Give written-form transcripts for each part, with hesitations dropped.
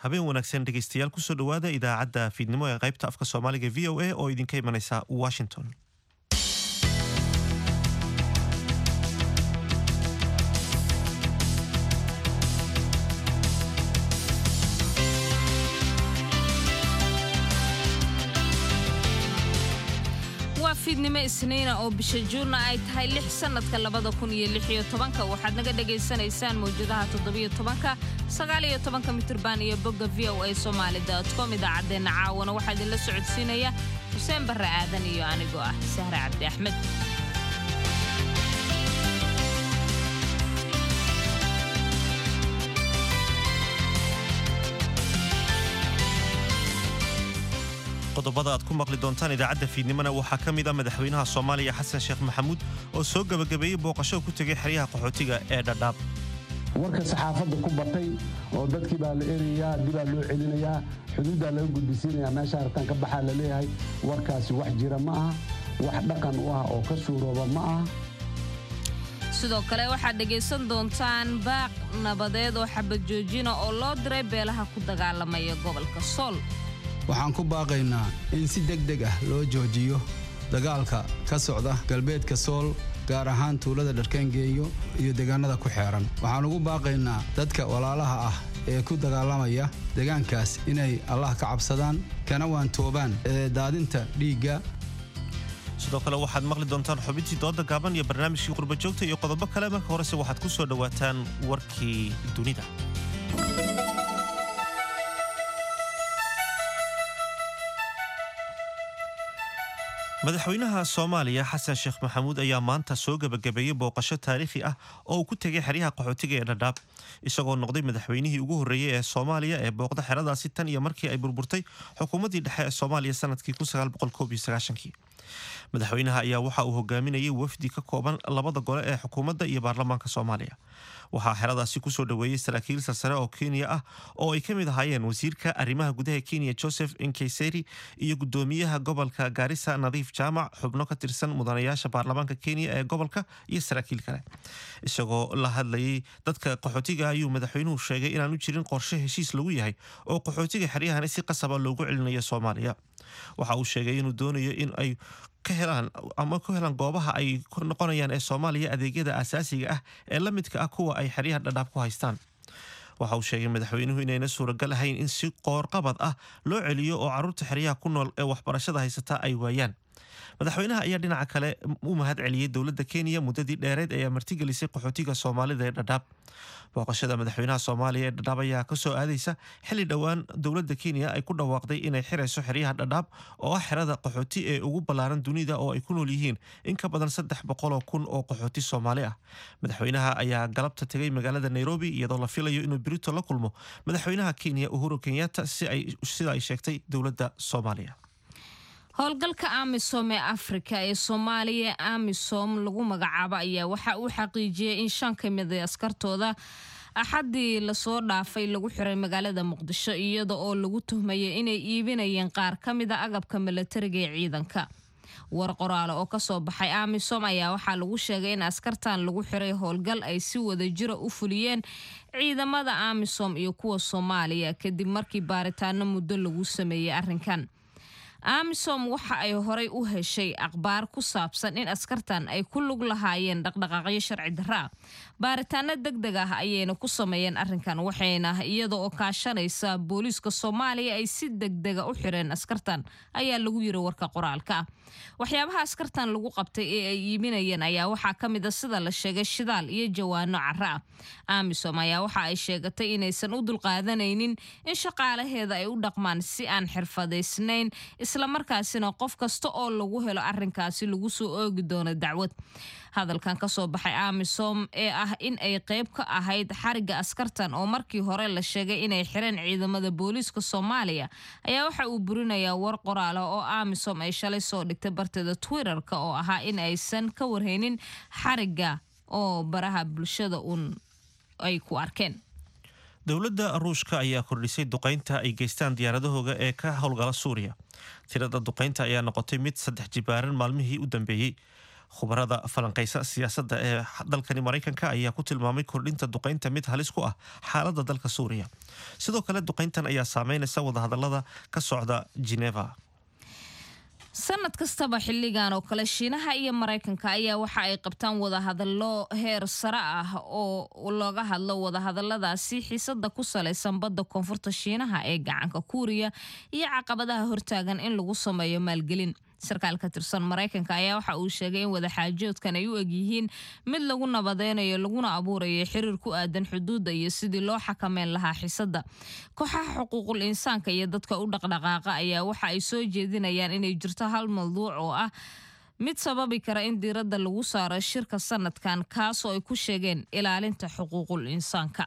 Habeen wanaagsan dhegeystayaal, kusoo dhowaada idaacadda fiidnimo ee qaybta afka Soomaaliga VOA oo idinka imanaysa Washington. Waa fiidnimo Isniina oo bisha Juunna ay tahay 6 sanadka 2016. Waxaad naga dhagaysanaysaan mawjadaha 17-ka, 19-ka mitirban iyo bogga voasomali.com. Idaacaddeenna caawana waxaa idinla socodsiinaya Xuseen Barre Aadan iyo anigoo ah Sahre Cabdi Axmed. Qodobada aad ku maqli doontaan idaacadda fiidnimona waxaa ka mid ah madaxweynaha Soomaaliya Xasan Sheekh Maxamuud oo soo gebagabeeyey booqasho ku tegay xeryaha qaxootiga ee Dhadhaab. Warka saxaafadda ku batay oo dadkii baa la erayaa, dibaa loo celinayaa, xuduuddaa laga gudbisiinayaa, meesha hartaan ka baxaa la leeyahay. Warkaasi wax jira ma aha, wax dhaqan u ah oo ka suurooba ma aha. Sidoo kale waxaad dhegaysan doontaan baaq nabadeed oo xabad joojina oo loo diray beelaha ku dagaalamaya gobolka Sool. Waxaan ku baaqaynaa in si deg deg ah loo joojiyo dagaalka ka socda galbeedka Sool, gaar ahaan tuulada Dharkaangeeyo iyo deegaanada ku xeeran. Waxaan ugu baaqaynaa dadka walaalaha ah ee ku dagaalamaya deegaankaas inay Allah ka cabsadaan kana waantoobaan ee daadinta dhiigga. Sidoo kale waxaad maqli doontaan xubintii dooda gaaban iyo barnaamijkii qurbajoogta iyo qodobo kale. Marka horese waxaad ku soo dhowaataan warkii dunida. Madaxweynaha Soomaaliya Xasan Sheekh Maxamuud ayaa maanta soo gebagabeeyey booqasho taariikhi ah oo uu ku tegay xeryaha qaxootiga ee Dhadhaab, isagoo noqday madaxweynihii ugu horreeyey ee Soomaaliya ee booqda xeradaasi tan iyo markii ay burburtay xukuumaddii dhexe ee Soomaaliya sanadkii. Madaxweynaha ayaa waxa uu hogaaminayay wafdi ka kooban labada gole ee xukuumadda iyo baarlamaanka Soomaaliya. Waxaa xeradaasi kusoo dhoweeyey saraakiil sarsare oo Kenya ah oo ay ka mid ahaayeen wasiirka arrimaha gudaha Kenya Joseph Nkaiseri iyo gudoomiyaha gobolka Gaarisa Nadiif Jaamac, xubno ka tirsan mudanayaasha baarlamaanka Kenya ee gobolka iyo saraakiil kale. Isagoo la hadlayay dadka qaxootiga ayuu madaxweynuhu sheegay inaanu jirin qorshe heshiis lagu yahay oo qaxootiga xeryahani si qasaba loogu celinayo Soomaaliya. Waxa uu sheegay inuu doonayo in ay ka helaan ama ku helaan goobaha ay ku noqonayaan ee Soomaaliya adeegyada asaasiga ah ee la midka ah kuwa ay xeryaha Dhadhaab ku haystaan. Waxa uu sheegay madaxweynuhu inayna suuragal ahayn in si qoorqabad ah loo celiyo oo carruurta xeryaha ku nool ee waxbarashada haysata ay waayaan. Madaxweynaha ayaa dhinaca kale u mahad celiyey dowladda Kenya muddadii dheereed ee martigelisay qaxootiga Soomaalida ee Dhadhaab. Booqashada madaxweynaha Soomaaliya ee Dhadhaab ayaa kasoo aadaysa xilli dhowaan dowladda Kenya ay ku dhawaaqday inay xirayso xeryaha Dhadhaab oo ah xerada qaxooti ee ugu ballaaran dunida oo ay ku nool yihiin in ka badan 300,000 oo qaxooti Soomaali ah. Madaxweynaha ayaa galabta tegay magaalada Nairobi, iyadoo la filayo inuu berito la kulmo madaxweynaha Kenya Uhuru Kenyatta, sida ay sheegtay dowladda Soomaaliya. Howlgalka AMISOM ee Afrika ee Soomaaliya, AMISOM lagu magacaabo, ayaa waxa uu xaqiijiyey in shan ka mid a askartooda Axaddii lasoo dhaafay lagu xiray magaalada Muqdisho, iyada oo lagu tuhmayay inay iibinayeen qaar ka mid a agabka milatariga ee ciidanka. War qoraale oo kasoo baxay AMISOM ayaa waxaa lagu sheegay in askartan lagu xiray howlgal ay si wada jira u fuliyeen ciidamada AMISOM iyo kuwa Soomaaliya, kadib markii baaritaano muddo lagu sameeyey arrinkan. AMISOM waxa ay horay u heshay akhbaar ku saabsan in askartan ay ku lug lahaayeen dhaqdhaqaaqyo sharci darra ah. Baaritaano deg deg ah ayayna ku sameeyeen arrinkan, waxayna iyada oo kaashanaysa booliiska Soomaaliya ay si deg dega u xireen askartan, ayaa lagu yiri warka qoraalka ah. Waxyaabaha askartan lagu qabtay ee ay iibinayeen ayaa waxaa ka mid a, sida la sheegay, shidaal iyo jawaano cara ah. AMISOM ayaa waxa ay sheegatay inaysan u dulqaadanaynin in shaqaalaheeda ay u dhaqmaan si aan xirfadaysnayn, islamarkaasina qof kasta oo lagu helo arrinkaasi lagu soo oogi doono dacwad. Hadalkan kasoo baxay AMISOM ee ah in ay qayb ka ahayd xarigga askartan, oo markii hore la sheegay inay xireen ciidamada booliiska Soomaaliya, ayaa waxa uu burinayaa war qoraala oo AMISOM ay shalay soo dhigtay barteeda Twitterka oo ahaa in aysan ka warhaynin xarigga oo baraha bulshada uun ay ku arkeen. Dowladda Ruushka ayaa kordhisay duqaynta ay geystaan diyaaradahooga ee ka howlgala Suuriya. Tirada duqaynta ayaa noqotay mid saddex jibaaran maalmihii u dambeeyey. Khubarada falanqaysa siyaasadda ee dalkani Maraykanka ayaa ku tilmaamay kordhinta duqaynta mid halis ku ah xaaladda dalka Suuriya. Sidoo kale, duqayntan ayaa saameynaysa wadahadalada ka socda Geneva. Sanad kastaba xilligan oo kale, Shiinaha iyo Maraykanka ayaa waxa ay qabtaan wadahadallo heer sare ah oo looga hadlo wadahadaladaasi xiisada ku salaysan badda koonfurta Shiinaha ee gacanka Kuuriya iyo caqabadaha hortaagan in lagu sameeyo maalgelin. Sarkaal ka tirsan Maraykanka ayaa waxa uu sheegay in wadaxaajoodkan ay u egyihiin mid lagu nabadeynayo laguna abuurayo xiriir ku aadan xuduudda iyo sidii loo xakameyn lahaa xiisada. Kooxaha xuquuqul insaanka iyo dadka u dhaqdhaqaaqa ayaa waxa ay soo jeedinayaan inay jirto hal mawduuc oo ah mid sababi kara in diiradda lagu saaro shirka sanadkan, kaasoo ay ku sheegeen ilaalinta xuquuqul insaanka.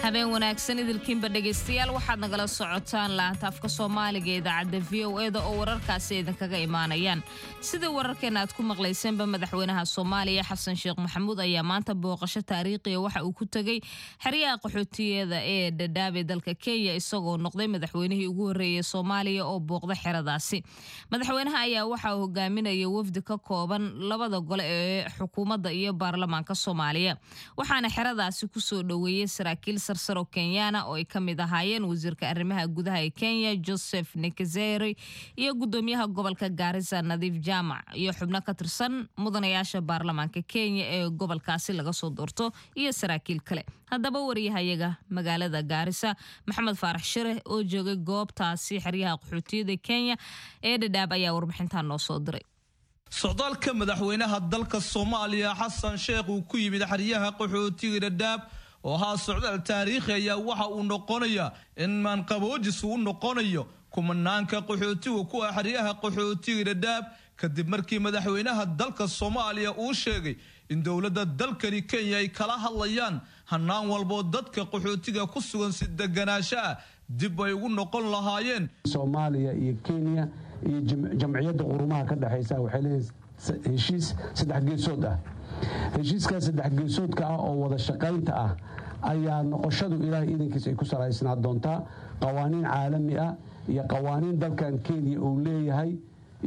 Habeen wanaagsan idilkiinba, dhegaystayaal. Waxaad nagala socotaan laanta afka Soomaaliga ee idaacadda VOA-da oo wararkaasi idinkaga imaanayaan. Sida wararkeena aad ku maqlayseenba, madaxweynaha Soomaaliya Xasan Sheekh Maxamuud ayaa maanta booqasho taariikhiya waxa uu ku tegey xeryaha qaxootiyada ee Dhadhaab ee dalka Kenya, isagoo noqday madaxweynihii ugu horreeyey Soomaaliya oo booqda xeradaasi. Madaxweynaha ayaa waxa uu hogaaminaya wafdi ka kooban labada gole ee xukuumadda iyo baarlamaanka Soomaaliya, waxaana xeradaasi kusoo dhoweeyey saraakiil sarsaro Kenyaana oo ay ka mid ahaayeen wasiirka arrimaha gudaha ee Kenya Joseph Nkaissery iyo gudoomiyaha gobolka Gaarisa Nadiif Jaamac iyo xubno ka tirsan mudanayaasha baarlamaanka Kenya ee gobolkaasi laga soo doorto iyo saraakiil kale. Haddaba, wariyahayaga magaalada Gaarisa Maxamed Faarax Shire oo joogay goobtaasi xeryaha qaxootiyada Kenya ee Dhadhaab ayaa warbixintan noo soo diray. Socdaalka madaxweynaha dalka Soomaaliya Xasan Sheekh uu ku yimid xeryaha qaxootiga Dhadhaab oo ahaa socdaal taariikhi ayaa waxa uu noqonayaa in maanqaboojis uu noqonayo kumanaanka qaxootiga ku ah xeryaha qaxootiga Dhadhaab, kadib markii madaxweynaha dalka Soomaaliya uu sheegay in dowladda dalkani Kenya ay kala hadlayaan hanaan walboo dadka qaxootiga ku sugan si deganaasho ah dib ay ugu noqon lahaayeen. Soomaaliya iyo Kenya iyo Jamciyadda Qurumaha ka dhexaysa waxay leeyihin heshiis saddex geesood ah. Heshiiskaas saddex geesoodka ah oo wada shaqaynta ah ayaa noqoshadu Ilaahay idankiis ay ku salaysnaa doontaa qawaaniin caalami ah iyo qawaaniin dalkan Kenya uu leeyahay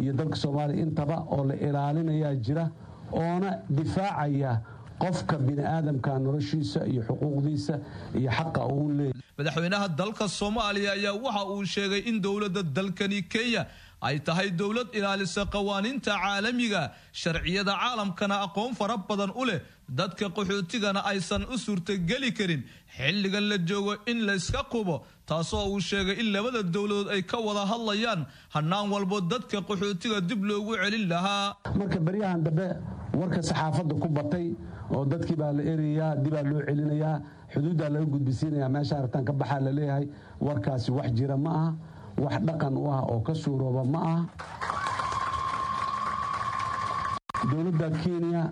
iyo dalka Soomaaliya intaba oo la ilaalinayaa jira, oona difaacaya qofka bini aadamka, noloshiisa iyo xuquuqdiisa iyo xaqa uu leeyahay. Madaxweynaha dalka Soomaaliya ayaa waxa uu sheegay in dowladda dalkani Kenya ay tahay dowlad ilaalisa qawaaniinta caalamiga, sharciyada caalamkana aqoon fara badan u leh, dadka qaxootigana aysan u suurtageli karin xilligan la joogo in la iska qubo, taasoo uu sheegay in labada dowladood ay ka wada hadlayaan hanaan walbo dadka qaxootiga dib loogu celin lahaa. Marka baryahan dambe warka saxaafadda ku batay oo dadkii baa la erayaa, dibaa loo celinayaa, xuduuddaa laga gudbisiinayaa, meesha aragtaan ka baxaa la leeyahay, warkaasi wax jira ma aha, wax dhaqan u ah oo ka suurooba ma aha. Dowladda Kenya,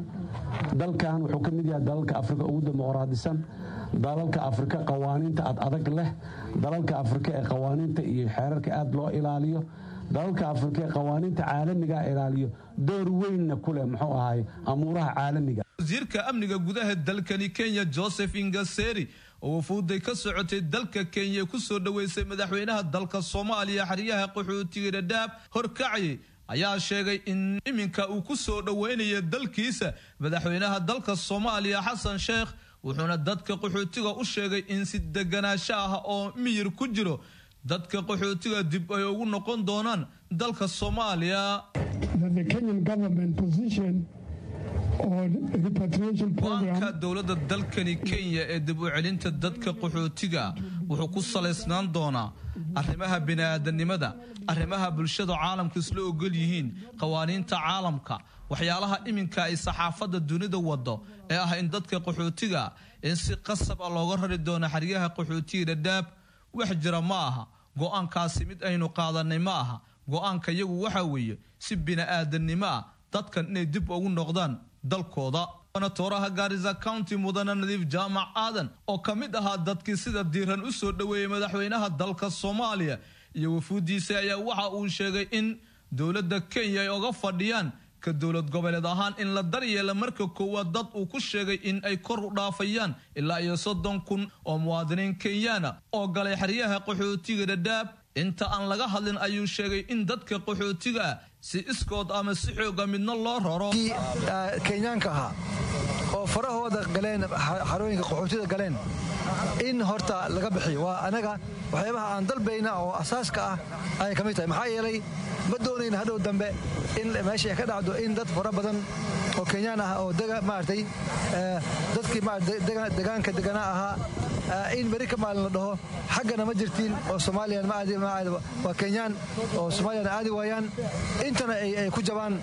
dalkan wuxuu ka mid yahay dalalka Afrika ugu dimuqraadisan, dalalka Afrika qawaaniinta ad adag leh, dalalka Afrika ee qawaaniinta iyo xeerarka aad loo ilaaliyo, dalalka Afrika ee qawaaniinta caalamiga ilaaliyo, door weynna ku leh muxuu ahaay amuuraha caalamiga. Wasiirka amniga gudaha dalkani Kenya Joseph Nkaissery oo wafuuday ka socotay dalka Kenya ku soo dhoweysay madaxweynaha dalka Soomaaliya xeryaha qaxootiga Dhadhaab horkacayay ayaa sheegay in iminka uu ku soo dhoweynayo dalkiisa madaxweynaha dalka Soomaaliya Xasan Sheekh, wuxuuna dadka qaxootiga u sheegay in si deganaasho ah oo miyir ku jiro dadka qaxootiga dib ay ugu noqon doonaan dalka Soomaaliya. That the Kenyan government position on repatriation program Go-aanka dowladda dalkani Kenya ee dib u celinta dadka qaxootiga wuxuu ku salaysnaan doonaa arrimaha bini'aadanimada, arrimaha bulshada caalamka isla ogol yihiin, qawaaniinta caalamka. Waxyaalaha iminka ay saxaafadda dunida wado ee ah in dadka qaxootiga in si qasab ah looga rari doono xeryaha qaxootiga Dhadhaab wax jira ma aha. Go-aankaasi mid aynu qaadanay ma aha. Go-aanka iyagu waxa weeye si bini'aadanimo ah dadkan inay dib ugu noqdaan dalkooda. Tooraha Gaarisa County mudane Nadiif Jaamac Aadan oo ka mid ahaa dadkii sida diiran u soo dhoweeyey madaxweynaha dalka Soomaaliya iyo wafuudiisa ayaa waxa uu sheegay in dowladda Kenya ay oga fadhiyaan Ka dowlad goboleed ahaan in la daryeela marka koowaad dad uu ku sheegay in ay kor u dhaafayaan ilaa iyo 30,000 oo muwaadiniin Kenyaana oo galay xeryaha qaxootiga Dhadhaab. Inta aan laga hadlin ayuu sheegay in dadka qaxootiga si iskood ama si xooga midna loo raro. Kenyaanka ahaa oo farahooda galeen xarooyinka qaxootida galeen in horta laga bixiyo waa anaga waxyaabaha aan dalbayna oo asaaska ah ayay ka mid tahay. Maxaa yeelay ma doonayna hadhow dambe in meesha ay ka dhacdo in dad fara badan oo Kenyaan ah oo maaragtay dadkii degaanka deganaa ahaa in beri ka maalin la dhaho xaggana ma jirtiin oo Soomaaliyan ma aadi waa Kenyaan oo Soomaaliyan aadi waayaan intana ay ku jabaan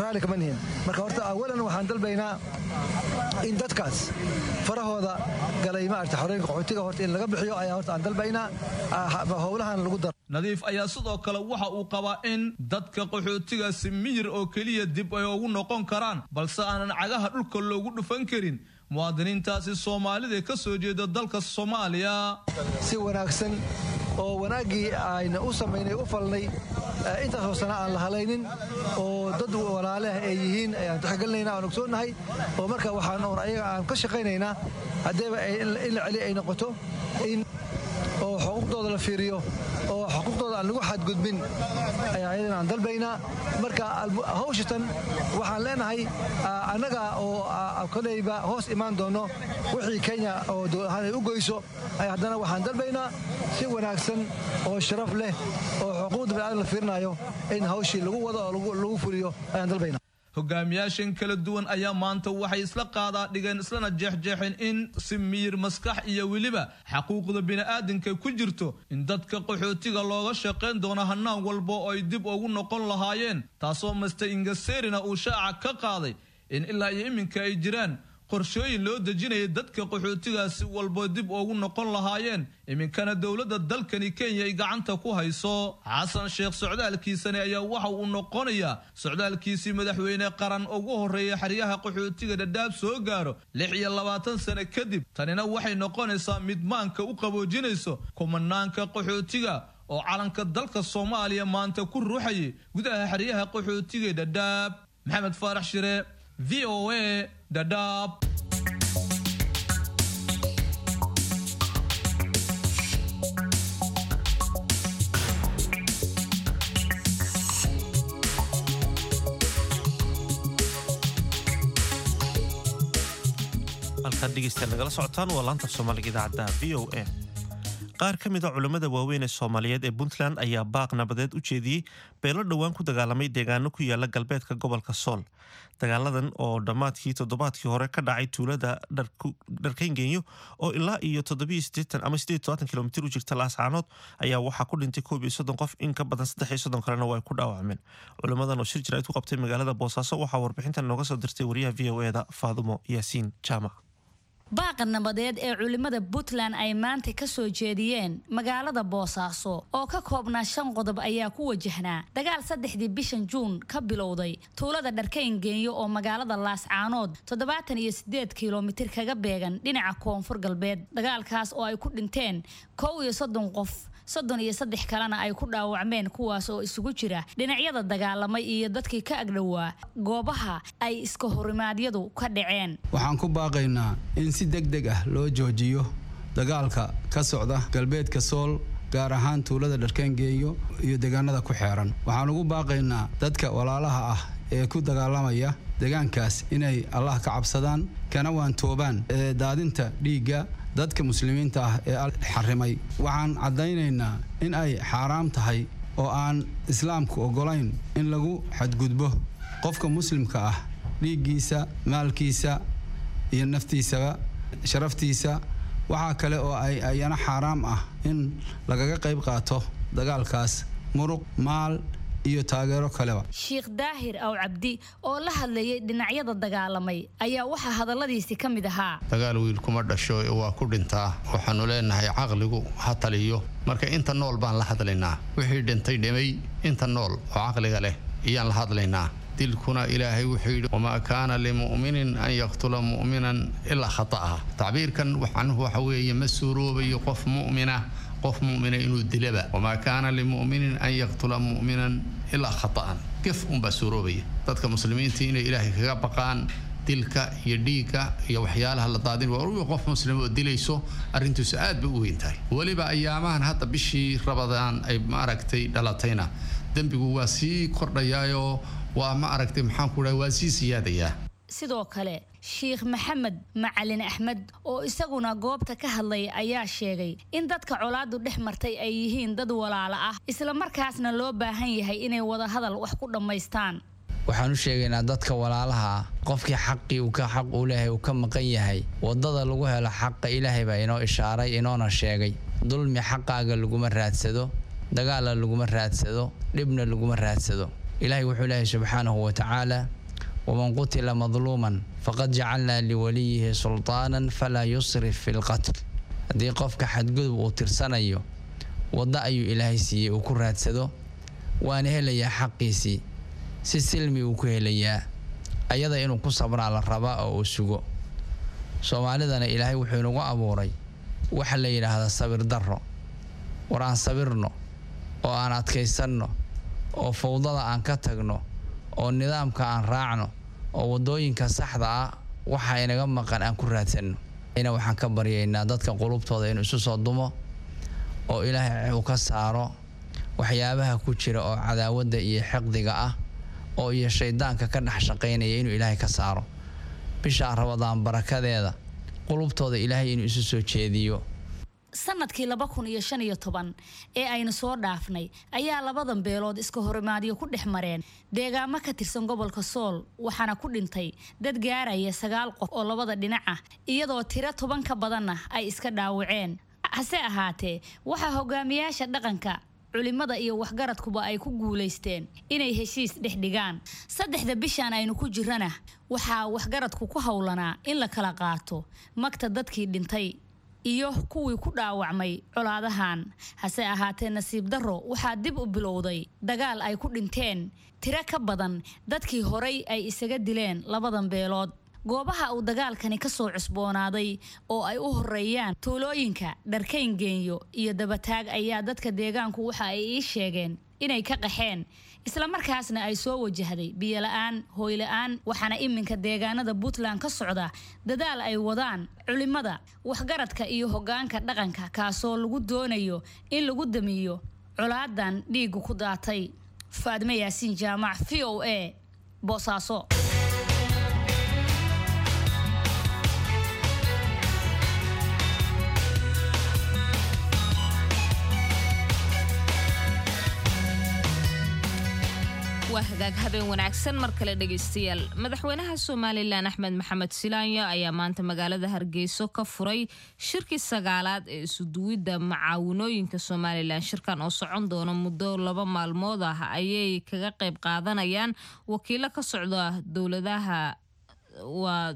raali kama nihin. Marka horta awalan waxaan dalbaynaa in dadkaas farahooda galay maaragtay xorooyinka qaxootiga horta in laga bixiyo ayaa horta aan dalbaynaa howlahan lagu daro. Nadiif ayaa sidoo kale waxa uu qabaa in dadka qaxootigaasi miyir oo keliya dib ay ugu noqon karaan, balse aanan cagaha dhulka loogu dhufan karin muwaadiniintaasi Soomaalida ka soo jeeda dalka Soomaaliya. Si wanaagsan oo wanaaggii ayna u samaynay u falnay intaasoo sana aan la halaynin oo dad walaaleh ay yihiin ayaan tixgelinayna aan ogsoonnahay oo marka waxaan oon ayaga aan ka shaqaynaynaa haddeeba in la celi ay noqoto in oo xuquuqdooda la fiiriyo oo xuquuqdooda aan lagu xadgudbin ayaa ayadana aan dalbaynaa. Marka hawshatan waxaan leenahay annaga oo koleyba hoos imaan doono wixii Kenya oo dowlad ahaan ay u goyso ayaa haddana waxaan dalbaynaa si wanaagsan oo sharaf leh oo xuquuqda bini'aadam la fiirinayo in hawshii lagu wado oo lagu fuliyo ayaan dalbaynaa. Hogaamiyaashan kala duwan ayaa maanta waxay isla qaadaa dhigeen islana jeexjeexeen in si miyir maskax iyo weliba xaquuqda bini'aadanka ku jirto in dadka qaxootiga looga shaqayn doono hanaan walba oo ay dib ugu noqon lahaayeen, taasoo Master Ingaserina uu shaaca ka qaaday in ilaa iyo iminka ay jiraan qorshooyin loo dejinaya dadka qaxootigaasi walba dib ugu noqon lahaayeen, iminkana dowladda dalkani Kenya ay gacanta ku hayso. Xasan Sheekh socdaalkiisani ayaa waxa uu noqonayaa socdaalkiisii madaxweyne qaran ugu horreeyay xeryaha qaxootiga Dhadhaab soo gaaro 26 sano kadib. Tanina waxay noqonaysaa mid maanka u qaboojinayso kumanaanka qaxootiga oo calanka dalka Soomaaliya maanta ku ruuxayay gudaha xeryaha qaxootiga Dhadhaab. Maxamed Faarax Shire, VOA, Dadaab. Halkaad dhegeystayaal nagala socotaan waa laanta Soomaaliga idaacadda VOA. Qaar ka mid a culimmada waaweyn ee Soomaaliyeed ee Puntland ayaa baaq nabadeed u jeediyey beelo dhowaan ku dagaalamay deegaano ku yaala galbeedka gobolka Sool. Dagaaladan oo dhammaadkii toddobaadkii hore ka dhacay tuulada Dharkayngenyo oo ilaa iyo 87 ama 88 kilomitir u jirta Laascaanood ayaa waxaa ku dhintay 31 qof, in ka badan 33 kalena waa ay ku dhaawacmeen. Culimmadan oo shir jaraa'id ku qabtay magaalada Boosaaso waxaa warbixintan nooga soo dirtay wariyaha VOA-da Faadumo Yaasiin Jaamac. Baaqa nabadeed ee culimada Puntland ay maanta ka soo jeediyeen magaalada Boosaaso oo ka koobnaa 5 qodob ayaa ku wajahnaa dagaal 3dii bishan Juun ka bilowday tuulada Dharkayn-Geenyo oo magaalada Laascaanood 78 kiiloomitir kaga beegan dhinaca koonfur galbeed. Dagaalkaas oo ay ku dhinteen 31 qof, 33 kalena ay ku dhaawacmeen, kuwaas oo isugu jira dhinacyada dagaalamay iyo dadkii ka agdhowaa goobaha ay iska horimaadyadu ka dhaceen. Waxaan ku baaqaynaa in si degdeg ah loo joojiyo dagaalka ka socda galbeedka Sool, gaar ahaan tuulada Dharkayn-Geenyo iyo deegaanada ku xeeran. Waxaan ugu baaqaynaa dadka walaalaha ah ee ku dagaalamaya deegaankaas inay Allah ka cabsadaan kana waantoobaan daadinta dhiigga dadka muslimiinta ah ee xarimay. Waxaan caddaynaynaa in ay xaaraam tahay oo aan islaamku oggolayn in lagu xadgudbo qofka muslimka ah dhiiggiisa, maalkiisa iyo naftiisaba, sharaftiisa. Waxaa kale oo ay ayana xaaraam ah in lagaga qayb qaato dagaalkaas muruq, maal iyo taageero kaleba. Sheekh Daahir Aw Cabdi oo la hadlayay dhinacyada dagaalamay ayaa waxaa hadalladiisi ka mid ahaa: Dagaal wiil kuma dhasho, waa ku dhintaa. Waxaanu leenahay caqligu ha taliyo. Marka inta nool baan la hadlaynaa, wixii dhintay dhimay, inta nool oo caqliga leh ayaan la hadlaynaa. Dilkuna Ilaahay wuxuu yidhi: wamaa kaana limu'minin an yaqtula mu'minan ilaa khata'a. Tacbiirkan macnuhu waxa weeye ma suuroobayo qof mu'mina qof mu'mina inuu dilaba. Wamaa kaana limu'minin an yaqtula mu'minan ilaa khata'an. Gef unbaa suuroobaya. Dadka muslimiinta inay Ilaahay kaga baqaan dilka iyo dhiigga iyo waxyaalaha la daadin. Waa qof muslim oo dilayso, arrintiisu aad bay u weyn tahay. Weliba ayaamahan hadda bishii Rabadaan ay maaragtay dhalatayna, dembigu waa sii kordhayaayoo waa ma aragtay, maxaan ku dhahay, waa sii siyaadayaa. Sidoo kale Sheikh Maxamed Macalin Axmed oo isaguna goobta ka hadlay ayaa sheegay in dadka colaadu dhex martay ay yihiin dad walaalo ah, islamarkaasna loo baahan yahay inay wadahadal wax ku dhammaystaan. Waxaan u sheegaynaa dadka walaalaha ah, qofkii xaqii uu ka xaq u leeyahay uu ka maqan yahay, wadada lagu helo xaqa Ilaahay baa inoo ishaaray, inoona sheegay. Dulmi xaqaaga laguma raadsado, dagaalla laguma raadsado, dhibna laguma raadsado. Ilaahay wuxuu leeyahay subxaanahu wa tacaala: "Waman qutila madluuman faqad jacalnaa liwaliyihi sultaanan falaa yusrif fi lqatl." Haddii qofka xadgudub uu tirsanayo, waddo ayuu Ilaahay siiyey uu ku raadsado, waana helayaa xaqiisii, si silmi uu ku helayaa. Ayada inuu ku sabraa la rabaa oo uu sugo. Soomaalidana Ilaahay wuxuu inagu abuuray waxa la yidhaahdaa sabir darro. War aan sabirno oo aan adkaysanno oo fowdada aan ka tagno oo nidaamka aan raacno oo waddooyinka saxda ah waxa inaga maqan aan ku raadsanno. Ina waxaan ka baryaynaa dadka qulubtooda inuu isu soo dumo oo Ilaahay uu ka saaro waxyaabaha ku jira oo cadaawadda iyo xiqdiga ah oo iyo shaydaanka ka dhex shaqaynaya, inuu Ilaahay ka saaro. Bisha Rabadaan barakadeeda qulubtooda Ilaahay inuu isu soo jeediyo. Sanadkii 2015 ee aynu soo dhaafnay ayaa labadan beelood iska horimaadyo ku dhex mareen deegaamo ka tirsan gobolka Sool, waxaana ku dhintay dad gaaraya sagaal qof oo labada dhinac ah, iyadoo tiro 10 ka badanna ay iska dhaawaceen. Hase ahaatee, waxaa hogaamiyaasha dhaqanka, culimada iyo waxgaradkuba ay ku guulaysteen inay heshiis dhex dhigaan. Saddexda bishan aynu ku jirana waxaa waxgaradku ku howlanaa in la kala qaato magta dadkii dhintay iyo kuwii ku dhaawacmay colaadahan. Hase ahaatee, nasiib darro, waxaa dib u bilowday dagaal ay ku dhinteen tiro ka badan dadkii horay ay isaga dileen labadan beelood. Goobaha uu dagaalkani ka soo cusboonaaday oo ay u horeeyaan tuulooyinka Dharkayn Geenyo iyo Dabataag ayaa dadka deegaanku waxa ay ii sheegeen inay ka qaxeen, islamarkaasna ay soo wajahday biyola-aan, hooyla-aan. Waxaana iminka deegaanada Puntland ka socda dadaal ay wadaan culimada, waxgaradka iyo hoggaanka dhaqanka, kaasoo lagu doonayo in lagu damiyo colaadan dhiigu ku daatay. Faadme Yaasiin Jaamac, VOA, Boosaaso. Waa hagaag, habeen wanaagsan mar kale dhegaystayaal. Madaxweynaha Somalilan Axmed Maxamed Silaanyo ayaa maanta magaalada Hargeyso ka furay shirkii sagaalaad ee isuduwidda macaawinooyinka Somalilan. Shirkan oo socon doona muddo 2 maalmood ah ayay kaga qayb qaadanayaan wakiilo ka socda dowladaha, waa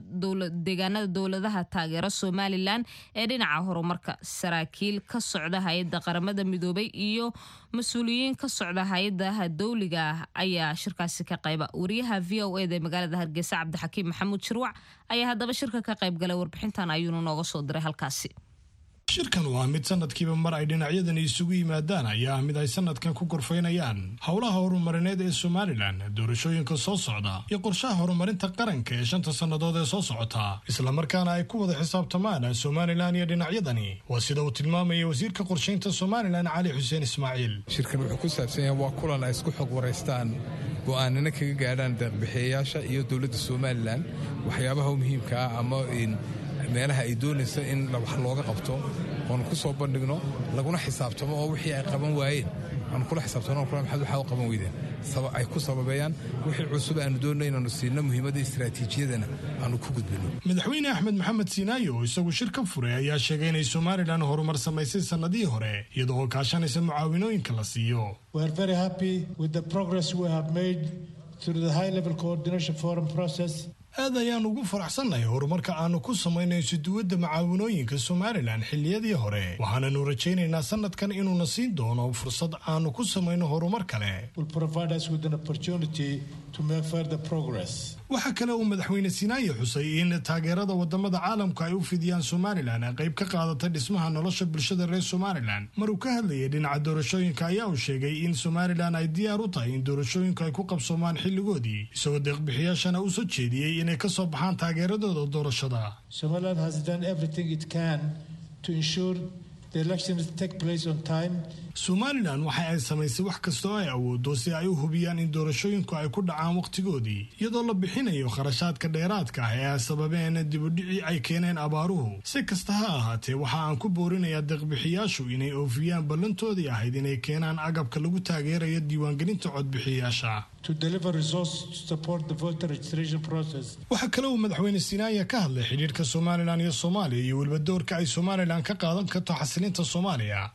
deegaanada dowladaha taageera Somalilan ee dhinaca horumarka, saraakiil ka socda hay-adda Qaramada Midoobay iyo mas-uuliyiin ka socda hay-adaha dowliga ah ayaa shirkaasi ka qayba. Wariyaha VOA da ee magaalada Hargeysa, Cabdixakiim Maxamuud Shirwac, ayaa haddaba shirka ka qayb galay, warbixintan ayuuna nooga soo diray halkaasi. Shirkan waa mid sanadkiiba mar ay dhinacyadani isugu yimaadaan ayaa mid ay sanadkan ku gorfaynayaan howlaha horumarineed ee Somalilan, doorashooyinka soo socda iyo qorshaha horumarinta qaranka ee 5-ta sannadood ee soo socota, islamarkaana ay ku wada xisaabtamaan Somalilan iyo dhinacyadani. Waa sida uu tilmaamaya wasiirka qorshaynta Somalilan, Cali Xuseen Ismaaciil. Shirkan wuxuu ku saabsan yahay waa kulan ay isku xog waraystaan, go'aanana kaga gaadhaan deeqbixiyayaasha iyo dowladda Somalilan waxyaabaha muhiimka ah ama meelaha ay doonaysa in wax looga qabto, oonu ku soo bandhigno, laguna xisaabtamo, oo wixii ay qaban waayeen aanu kula xisaabtano, kula maxaad waxaa u qaban weydeen ay ku sababeeyaan, wixii cusub aanu doonno inaanu siino, muhiimadda istaraatiijiyadana aanu ku gudbino. Madaxweyne Axmed Maxamed Siinaayo oo isagu shir ka furay ayaa sheegay inay Somalilan horumar samaysay sannadihii hore, iyadoo oo kaashanaysa mucaawinooyinka la siiyo. We are very happy with the progress we have made through the high level coordination forum process. Aad ayaan ugu faraxsannahay horumarka aanu ku samaynay isuduwadda macaawinooyinka Somalilan xilliyadii hore, waxaananu rajaynaynaa sanadkan inuuna siin doono fursad aanu ku samayno horumar kale. Waxaa kale uu madaxweyne Sinaaye xusay in taageerada wadamada caalamku ay u fidiyaan Somalilan ay qayb ka qaadata dhismaha nolosha bulshada reer Somalilan. Maruu ka hadlayay dhinaca doorashooyinka ayaa uu sheegay in Somalilan ay diyaar u tahay in doorashooyinku ay ku qabsoomaan xilligoodii, isagoo deeqbixiyaashana u soo jeediyey inay ka soo baxaan taageeradooda doorashada. Somalilan waxa ay samaysay wax kasta oo ay awoodo si ay u hubiyaan in doorashooyinku ay ku dhacaan wakhtigoodii, iyadoo la bixinayo kharashaadka dheeraadka ah ee ay sababeen dibudhicii ay keeneen abaaruhu. Si kasta ha ahaatee, waxa aan ku boorinayaa deeqbixiyaashu inay oofiyaan ballantoodii ahayd inay keenaan agabka lagu taageerayo diiwaangelinta codbixiyaasha. Waxaa kale uu madaxweyne Sinaaya ka hadlay xidhiirka Somalilan iyo Soomaaliya iyo weliba doorka ay Somalilan ka qaadan karto xasilinta Soomaaliya.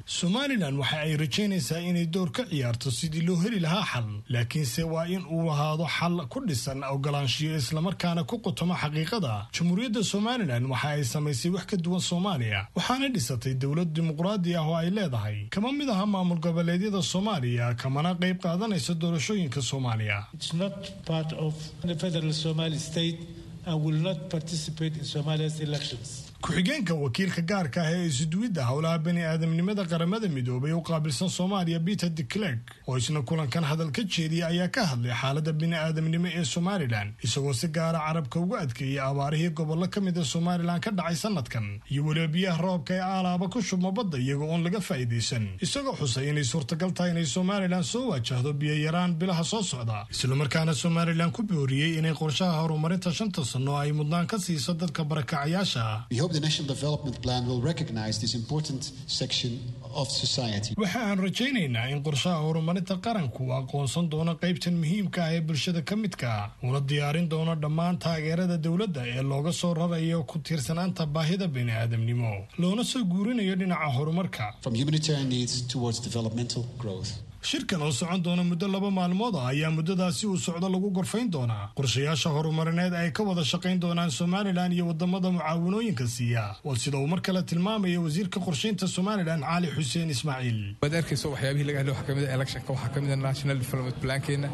Somalilan waxa ay rajaynaysaa inay door ka ciyaarto sidii loo heli lahaa xal, laakiinse waa in uu ahaado xal ku dhisan ogolaanshiyo islamarkaana ku qutamo xaqiiqada. Jamhuuriyadda Somalilan waxa ay samaysay wax ka duwan Soomaaliya, waxaana dhisatay dowlad dimuqraadi ah oo ay leedahay. Kama mid aha maamul goboleedyada Soomaaliya, kamana qayb qaadanaysa doorashooyinka Soomaaliya. Ku-xigeenka wakiilka gaarka ah ee isuduwidda howlaha bani aadamnimada Qaramada Midoobay u qaabilsan Soomaaliya, Peter de Clerk, oo isna kulankan hadal ka jeediyay ayaa ka hadlay xaaladda bini aadamnimo ee Somalilan, isagoo si gaara carabka ugu adkeeyey abaarihii gobollo ka mid a Somalilan ka dhacay sanadkan iyo weliba biyaha roobka ee aalaaba ku shubma badda iyagoo oon laga faa'iidaysan, isagoo xusay inay suurtagal tahay inay Somalilan soo waajahdo biyo yaraan bilaha soo socda, islamarkaana Somalilan ku booriyey inay qorshaha horumarinta 5ta sano ay mudnaan ka siiso dadka barakacayaasha. Waxa aan rajaynaynaa in qorshaha horumarinta qaranku uu aqoonsan doono qaybtan muhiimka ah ee bulshada ka midka, una diyaarin doono dhammaan taageerada dowladda ee looga soo rarayo ku tiirsanaanta baahida bini'aadamnimo loona soo guurinayo dhinaca horumarka. Shirkan oo socon doona muddo 2 maalmood ah ayaa muddadaasi uu socdo lagu gorfayn doonaa qorshayaasha horumarineed ay ka wada shaqayn doonaan Somalilan iyo wadamada mucaawinooyinka siiya, waa sida uu mar kale tilmaamaya wasiirka qorshaynta Somalilan Cali Xuseen Ismaaciil. Waad arkayso waxyaabihii laga hadlay waxaa kamid ah electionka, waxaa kamid ah national development plankeena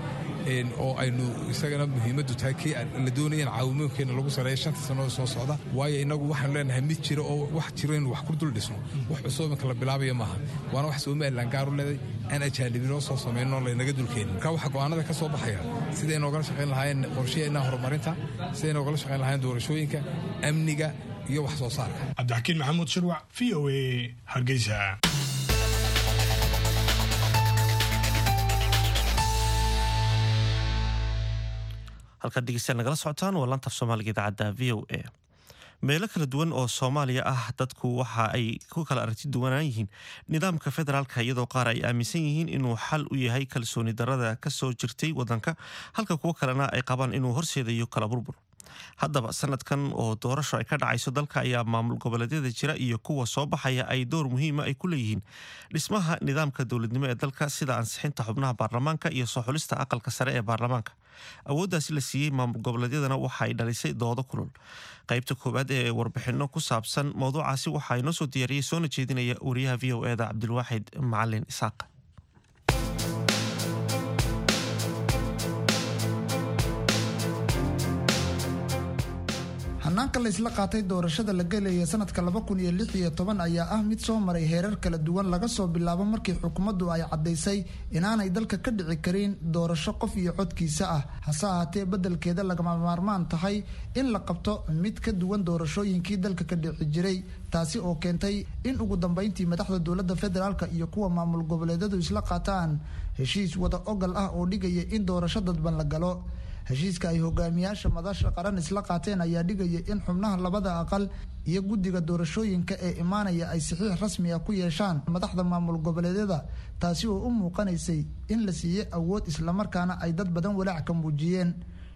oo aynu isagana muhiimaddu tahay kii la doonaya in caawimooyinkeena lagu sareeyo 5ta sannadood soo socda, waayo inagu waxaanu leenahay mid jira oo wax jiro inuu wax ku dul dhisno, wax cusub iminka la bilaabayo maaha, waana wax Somalilan gaar u leeday aan ajaanibinoo soo samayno laynaga dulkeenin. Marka waxaa go'aanada ka soo baxaya siday noogala shaqayn lahaayeen qorshaheena horumarinta, siday noogala shaqayn lahaayeen doorashooyinka, amniga iyo wax soo saarka. Cabdixakiin Maxamuud Shirwac, VOA, Hargeysa. Halkaad dhegeystayaal nagala socotaan waa laanta af Soomaaliga idaacadda VOA. Meelo kala duwan oo Soomaaliya ah dadku waxa ay ku kala aragti duwanaan yihiin nidaamka federaalka, iyadoo qaar ay aaminsan yihiin inuu xal u yahay kalsooni darada ka soo jirtay wadanka, halka kuwo kalena ay qabaan inuu horseedayo kala burbur. Haddaba sanadkan oo doorasho ay ka dhacayso dalka ayaa maamul goboleedyada jira iyo kuwa soo baxaya ay door muhiima ay ku leeyihiin dhismaha nidaamka dowladnimo ee dalka, sida ansixinta xubnaha baarlamaanka iyo soo xulista aqalka sare ee baarlamaanka. Awooddaasi la siiyey maamul goboleedyadana waxa ay dhalisay doodo kulul. Qaybta koowaad ee warbixino ku saabsan mowduucaasi waxaa inoo soo diyaariyey soona jeedinaya wariyaha VOA da Cabdilwaaxid Macalin Isaaq. Hanaanka la isla qaatay doorashada la gelaya sanadka 2016 ayaa ah mid soo maray heerar kala duwan, laga soo bilaabo markii xukuumaddu ay caddaysay inaanay dalka ka dhici karin doorasho qof iyo codkiisa ah, hase ahaatee beddelkeeda lagama maarmaan tahay in la qabto mid ka duwan doorashooyinkii dalka ka dhici jiray, taasi oo keentay in ugu dambeyntii madaxda dowladda federaalka iyo kuwa maamul goboleedyadu isla qaataan heshiis wada ogal ah oo dhigaya in doorasho dadban la galo. Heshiiska ay hogaamiyaasha madasha qaran isla qaateen ayaa dhigaya in xubnaha labada aqal iyo guddiga doorashooyinka ee imaanaya ay saxiix rasmi ah ku yeeshaan madaxda maamul goboleedyada, taasi oo u muuqanaysay in la siiyey awood islamarkaana ay dad badan walaac ka muujiyeen.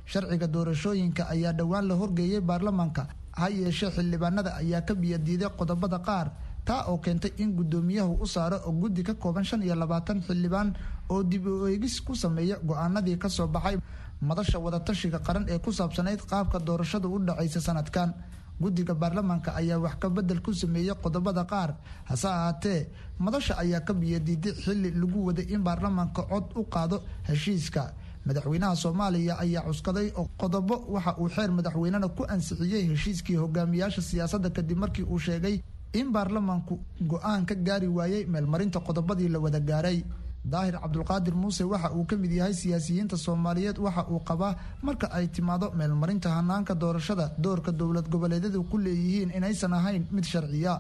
Sharciga doorashooyinka ayaa dhowaan la horgeeyey baarlamaanka, ha yeeshee xildhibaanada ayaa ka biyadiiday qodobada qaar, Taa oo keentay in guddoomiyahu u saaro guddi ka kooban 25 xildhibaan oo dib u eegis ku sameeya go-aanadii kasoo baxay madasha wadatashiga qaran ee ku saabsanayd qaabka doorashadu u dhacaysa sanadkan. Guddiga baarlamaanka ayaa wax ka bedel ku sameeyey qodobada qaar, hase ahaatee madasha ayaa ka biyadiiday xilli lagu waday in baarlamaanka cod u qaado heshiiska. Madaxweynaha Soomaaliya ayaa cuskaday qodobo waxa uu xeer madaxweynena ku ansixiyey heshiiskii hogaamiyaasha siyaasadda, kadib markii uu sheegay in baarlamaanku go-aan ka gaari waayey meelmarinta qodobadii la wada gaaray. Daahir Cabdulqaadir Muuse waxa uu ka mid yahay siyaasiyiinta Soomaaliyeed. Waxa uu qabaa marka ay timaado meelmarinta hanaanka doorashada, doorka dowlad goboleedyadu ku leeyihiin inaysan ahayn mid sharciya.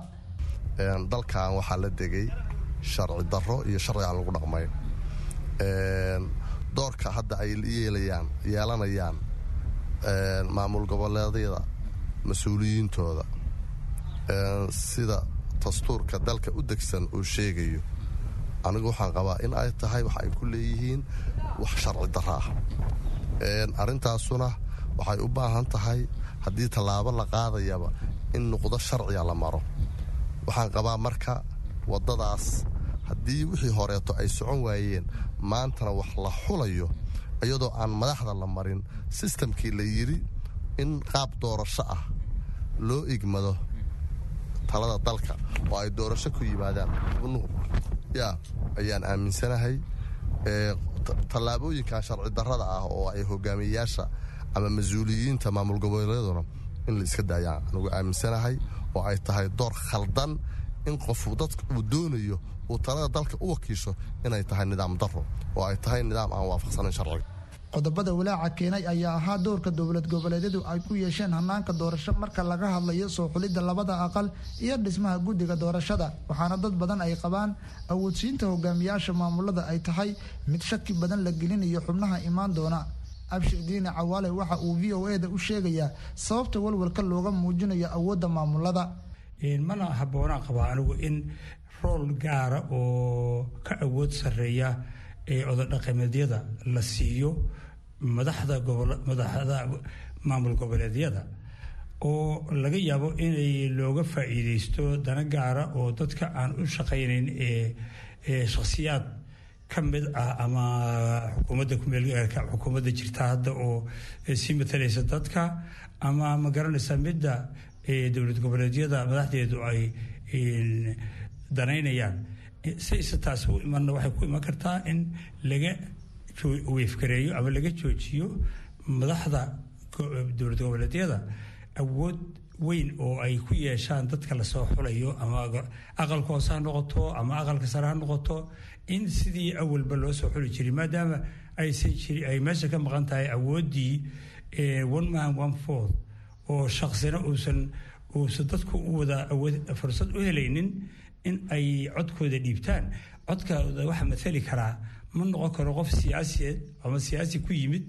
Dalkan waxaa la degay sharci darro iyo sharci aan lagu dhaqmayn. Doorka hadda ay yeelayaan yeelanayaan maamul goboleedyada mas-uuliyiintooda, sida dastuurka dalka u degsan uu sheegayo, anigu waxaan qabaa in ay tahay wax ay ku leeyihiin wax sharci darro ah. Arrintaasuna waxay u baahan tahay, haddii tallaabo la qaadayaba, in nuqdo sharciga la maro. Waxaan qabaa marka waddadaas, haddii wixii horeeto ay socon waayeen, maantana wax la xulayo iyadoo aan madaxda la marin sistamkii la yidhi in qaab doorasho ah loo igmado talada dalka oo ay doorasho ku yimaadaan xubnuhu, yaa ayaan aaminsanahay tallaabooyinkan sharci darrada ah oo ay hogaamiyeyaasha ama mas-uuliyiinta maamul goboleedyaduna in la iska daayaan anugu aaminsanahay, oo ay tahay door khaldan in qofu dadka uu doonayo uu talada dalka u wakiisho inay tahay nidaam darro oo ay tahay nidaam aan waafaqsanayn sharciga. Qodobada walaaca keenay ayaa ahaa doorka dowlad goboleedyadu ay ku yeesheen hanaanka doorasho marka laga hadlayo soo xulidda labada aqal iyo dhismaha guddiga doorashada. Waxaana dad badan ay qabaan awoodsiinta hogaamiyaasha maamulada ay tahay mid shaki badan la gelinayo xubnaha imaan doona. Abshir Diini Cawaale waxa uu VOA-da u sheegayaa sababta walwalka looga muujinayo awoodda maamulada. Mana habboonaan qabaa anigu in role gaara oo ka awood sarreeya ee ododhaqameedyada la siiyo madaxda madaxda maamul goboleedyada, oo laga yaabo inay looga faa'iideysto dana gaara oo dadka aan u shaqaynayn ee shakhsiyaad ka mid ah ama xukuumadda kumeelgaarka, xukuumadda jirta hadda oo sii matalaysa dadka, ama ma garanaysa midda dowlad goboleedyada madaxdeedu ay danaynayaan. Sayse taasi u imanna, waxay ku iman kartaa in laga weefgareeyo ama laga joojiyo madaxda dowlad goboleedyada awood weyn oo ay ku yeeshaan dadka lasoo xulayo, ama aqalka hoose ha noqoto ama aqalka sare ha noqoto, in sidii awalba loo soo xuli jiray, maadaama aysan jiri ay meesha ka maqan tahay awooddii one man one vote, oo shaqsina uusan dadku u wada awood fursad u helaynin in ay codkooda dhiibtaan. Codkooda waxa mathali karaa ma noqon karo qof siyaasiyeed ama siyaasi ku yimid,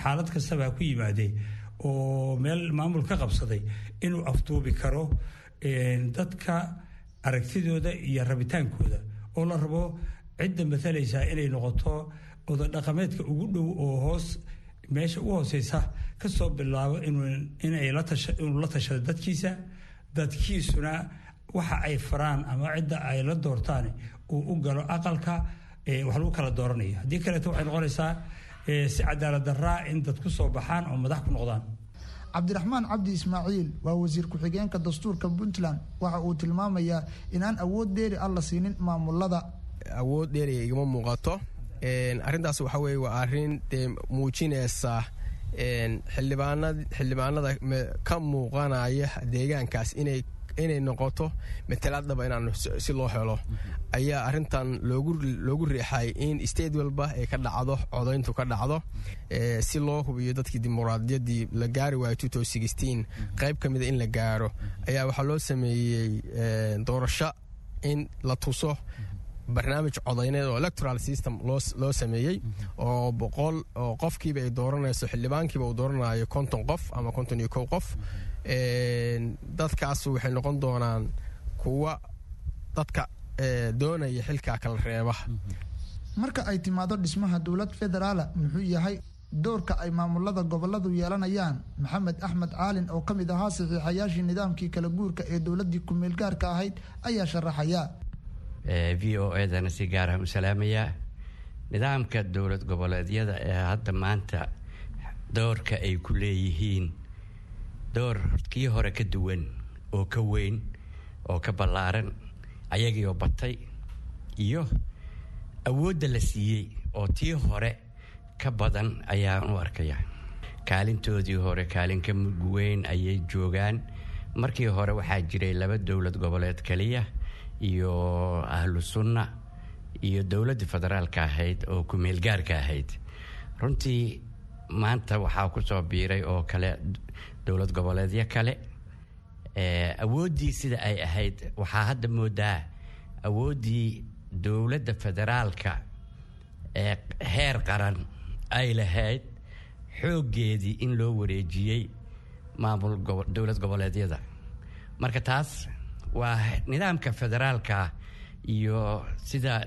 xaalad kastaba ha ku yimaadee, oo meel maamul ka qabsaday inuu afduubi karo dadka aragtidooda iyo rabitaankooda, oo la rabo cidda mathalaysaa inay noqoto ododhaqameedka ugu dhow oo hoos meesha u hooseysa kasoo bilaabo, inuu la tashado dadkiisa, dadkiisuna waxa ay faraan ama cidda ay la doortaan uu u galo aqalka wax lagu kala dooranayo. Haddii kaleeto waxay noqonaysaa si cadaalad daraa in dad ku soo baxaan oo madax ku noqdaan. Cabdiraxmaan Cabdi Ismaaciil waa wasiir ku-xigeenka dastuurka Puntland. Waxa uu tilmaamayaa inaan awood dheeri ah la siinin maamulada. Awood dheeriya igama muuqato arrintaas. Waxa weye waa arrin dee muujinaysa xildhibaanada ka muuqanaya deegaankaas inay noqoto matalaad dhaba inaan si loo helo ayaa arrintan loogu riixay in state walba ay ka dhacdo codayntu ka dhacdo, si loo hubiyo dadkii dimuqraadiyaddii la gaari waayo qayb ka mida in la gaaro ayaa waxaa loo sameeyey doorasho in la tuso barnaamij codayneed oo electoral system loo sameeyey, oo 100 oo qofkiiba ay dooranayso, xildhibaankiiba uu dooranayo 50 qof ama 51 qof. Dadkaas waxay noqon doonaan kuwa dadka doonaya xilkaa kala reeba. Marka ay timaado dhismaha dowlad federaala, muxuu yahay Doorka ay maamulada goboladu yeelanayaan, Maxamed Axmed Caalin oo ka mid ahaa saxiixayaashii nidaamkii kala guurka ee dowladii ku-meelgaarka ahayd ayaa sharaxaya. VOA-dana si gaar ah u salaamayaa. Nidaamka dowlad goboleedyada ee hadda maanta doorka ay ku leeyihiin, door kii hore ka duwan oo ka weyn oo ka ballaaran, ayagiioo batay iyo awoodda la siiyey oo tii hore ka badan ayaan u arkaya. Kaalintoodii hore kaalin ka mug weyn ayay joogaan. Markii hore waxaa jiray laba dowlad goboleed kaliya iyo Ahlu Sunna iyo dowladda federaalka ahayd oo ku-meelgaarka ahayd. Runtii maanta waxaa kusoo biiray oo kale dowlad goboleedyo kale. Awooddii sida ay ahayd waxaa hadda moodaa awooddii dowladda federaalka ee heer qaran ay lahayd xooggeedii in loo wareejiyey maamul dowlad goboleedyada. Marka taas waa nidaamka federaalka iyo sida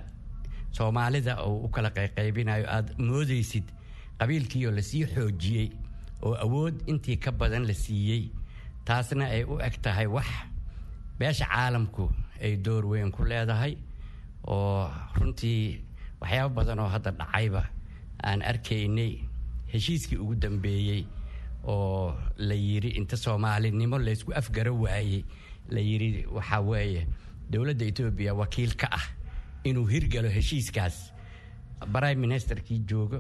Soomaalida uu u kala qayqaybinayo, aada moodaysid qabiilkiioo lasii xoojiyey oo awood intii ka badan la siiyey. Taasna ay u eg tahay wax beesha caalamku ay door weyn ku leedahay, oo runtii waxyaabo badan oo hadda dhacayba aan arkaynay. Heshiiskii ugu dambeeyey oo la yiri inta Soomaalinimo laysku afgaro waayey, la yiri waxaa weeye dowladda Etoobiya wakiil ka ah inuu hirgalo heshiiskaas, prime ministerkii joogo,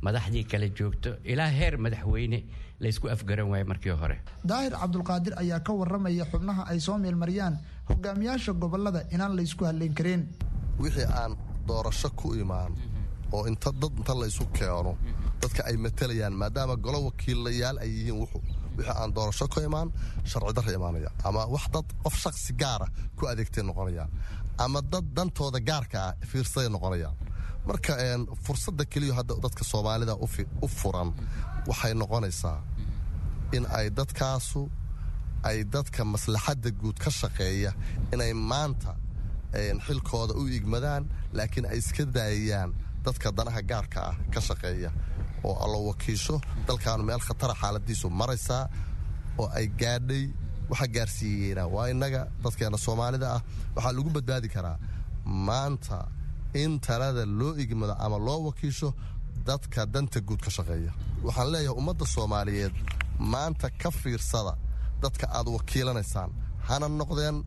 madaxdii kale joogto, ilaa heer madaxweyne laysku afgaran waaye markii hore. Daahir Cabdulqaadir ayaa ka waramaya xubnaha ay soo meelmariyaan hogaamiyaasha gobolada inaan laysku halleyn karin. Wixii aan doorasho ku imaan oo inta dad inta laysu keeno dadka ay matalayaan, maadaama golo wakiilayaal ay yihiin, wixii aan doorasho ku imaan sharci darra imaanaya, ama wax dad qof shaksi gaara ku adeegtay noqonayaan, ama dad dantooda gaarka ah fiirsaday noqonayaan. Marka fursadda keliya hadda dadka Soomaalida u furan waxay noqonaysaa in ay dadkaasu ay dadka maslaxadda guud ka shaqeeya inay maanta xilkooda u igmadaan, laakiin ay iska daayayaan dadka danaha gaarka ah ka shaqeeya oo allo wakiisho. Dalkaanu meel khatara xaaladiisu maraysaa oo ay gaadhay. Waxa gaarsiiyeena waa innaga dadkeena Soomaalida ah. Waxaa lagu badbaadi karaa maanta in talada loo igmado ama loo wakiisho dadka danta guud ka shaqeeya. Waxaan leeyahay ummadda Soomaaliyeed, maanta ka fiirsada dadka aad wakiilanaysaan, hana noqdeen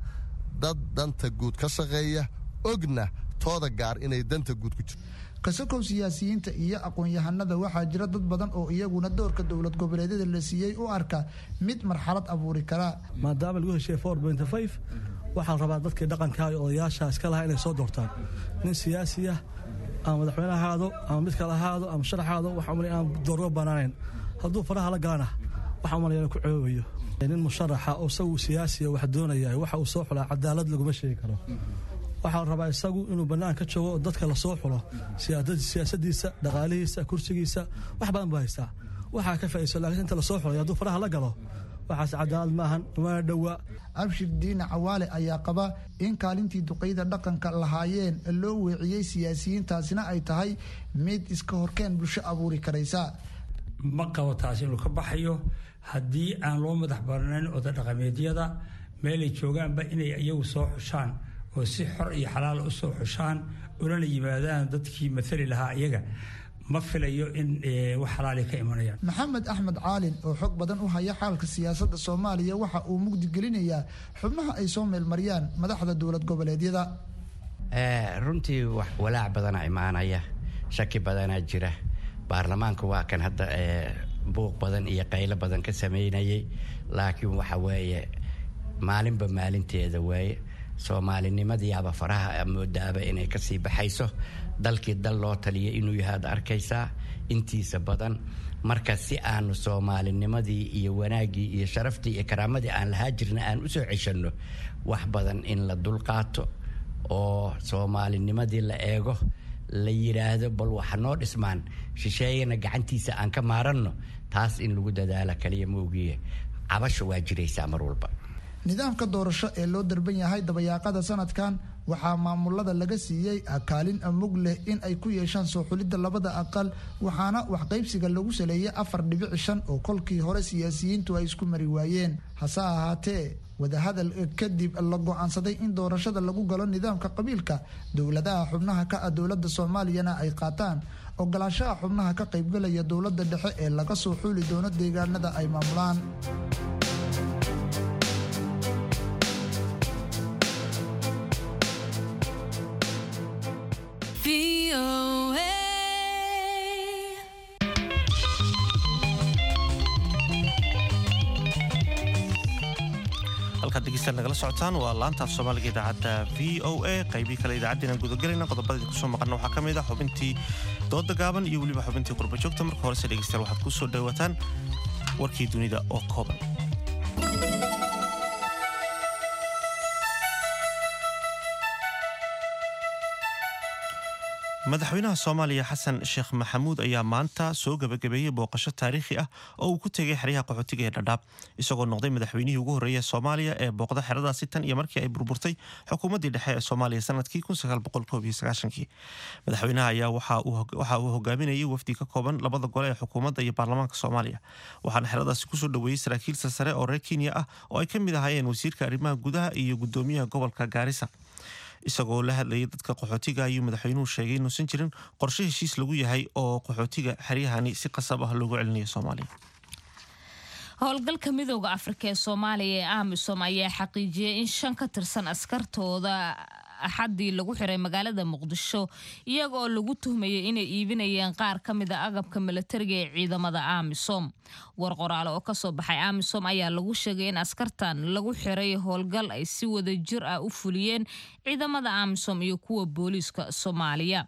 dad danta guud ka shaqeeya, ogna tooda gaar inay danta guud ku jirto. Kasakow siyaasiyiinta iyo aqoon-yahanada, waxaa jira dad badan oo iyaguna doorka dowlad goboleedyada la siiyey u arka mid marxalad abuuri kara. Maadaama lagu heshiiyey 4.5, waxaa la rabaa dadkii dhaqanka iyo odayaasha iska lahaa inay soo doortaan nin siyaasi ah, ama madaxweyne ahaado ama mid kale ahaado ama sharaxaado. Waxaa umalay aan doorgo banaanayn. Hadduu faraha la galana, waxaa umalaya inuu ku coobayo. Nin musharaxa oo isagu siyaasiya wax doonaya, waxa uu soo xulaa cadaalad laguma sheegi karo. Waxaa la rabaa isagu inuu bannaan ka joogo oo dadka lasoo xulo. Siyaasadiisa, dhaqaalihiisa, kursigiisa, wax badan buu haystaa, waxaa ka faa'iidayso. Laakiin inta lasoo xulay hadduu faraha la galo, waxaas cadaalad maahan, umana dhowa. Abshir Diine Cawaale ayaa qaba in kaalintii duqeyda dhaqanka lahaayeen loo weeciyey siyaasiyiintaasina ay tahay mid iska horkeen bulsho abuuri karaysa. Ma qabo taas inuu ka baxayo haddii aan loo madax barnayn oda dhaqameedyada meelay joogaanba inay iyagu soo xushaan oo si xor iyo xalaal u soo xushaan ulana yimaadaan dadkii maali lahaa iyaga. Ma filayo in wax xalaali ka imanayaan. Maxamed Axmed Caalin oo xog badan u haya xaalka siyaasadda Soomaaliya waxa uu mugdi gelinayaa xubnaha ay soo meelmariyaan madaxda dowlad goboleedyada. Runtii walaac badanaa imaanaya, shaki badanaa jira. Baarlamaanka waa kan hadda buuq badan iyo qaylo badan ka sameynayay, laakiin waxa weeye maalinba maalinteeda waaye. Soomaalinimadiiaba faraha moodaaba inay kasii baxayso. Dalkii dal loo taliyay inuu yahay ad arkaysaa intiisa badan. Marka si aanu soomaalinimadii iyo wanaaggii iyo sharaftii iyo karaamadii aan lahaa jirna aan usoo ceshanno, wax badan in la dulqaato oo soomaalinimadii la eego, la yidhaahdo bal waxa noo dhismaan, shisheeyana gacantiisa aan ka maaranno, taas in lagu dadaala kaliya moogiye, cabasho waa jiraysaa mar walba. Nidaamka doorasho ee loo darban yahay dabayaaqada sanadkan waxaa maamulada laga siiyey kaalin mug leh in ay ku yeeshaan soo xulidda labada aqal, waxaana waxqaybsiga lagu saleeyay 4.5 oo kolkii hore siyaasiyiintu ay isku mari waayeen. Hase ahaatee wadahadal kadib la go'aansaday in doorashada lagu galo nidaamka qabiilka, dowladaha xubnaha ka ah dowladda Soomaaliyana ay qaataan ogolaanshaha xubnaha ka qaybgalaya dowladda dhexe ee laga soo xuli doono deegaanada ay maamulaan. Halkaad dhegeystayaal nagala socotaan waa laanta af Soomaaliga idaacadda VOA. Qaybihii kale idaacaddeenan gudagelayna, qodobada kusoo maqana waxaa ka mid ah xubintii dooda gaaban iyo weliba xubintii qurba joogta. Marka horese dhegeystayaal waxaad ku soo dhawaataan warkii dunida oo kooban. Madaxweynaha Soomaaliya Xasan Sheekh Maxamuud ayaa maanta soo gabagabeeyey booqasho taariikhi ah oo uu ku tegay xeryaha qaxootiga ee Dhadhaab, isagoo noqday madaxweynihii ugu horreeyay Soomaaliya ee booqda xeradaasi tan iyo markii ay burburtay xukuumaddii dhexe ee Soomaaliya sanadkii. Madaxweynaha ayaa waxa uu hogaaminayay wafdi ka kooban labada gole ee xukuumadda iyo baarlamaanka Soomaaliya, waxaana xeradaasi kusoo dhaweeyey saraakiil sarsare oo reer Kenya ah oo ay ka mid ahaayeen wasiirka arrimaha gudaha iyo gudoomiyaha gobolka Gaarisa. Isagoo la hadlayay dadka qaxootiga ayuu madaxweynuhu sheegay inuusan jirin qorshe heshiis lagu yahay oo qaxootiga xeryahani si qasab ah loogu celinayo Soomaaliya. Howlgalka Midooda Afrika ee Soomaaliya ee AMISOM ayaa xaqiijiyey in 5 ka tirsan askartooda Axaddii lagu xiray magaalada Muqdisho, iyaga oo lagu tuhmayay inay iibinayeen qaar ka mid a agabka milatariga ee ciidamada AMISOM. War qoraale oo kasoo baxay AMISOM ayaa lagu sheegay in askartan lagu xiray howlgal ay si wada jir ah u fuliyeen ciidamada AMISOM iyo kuwa booliiska Soomaaliya.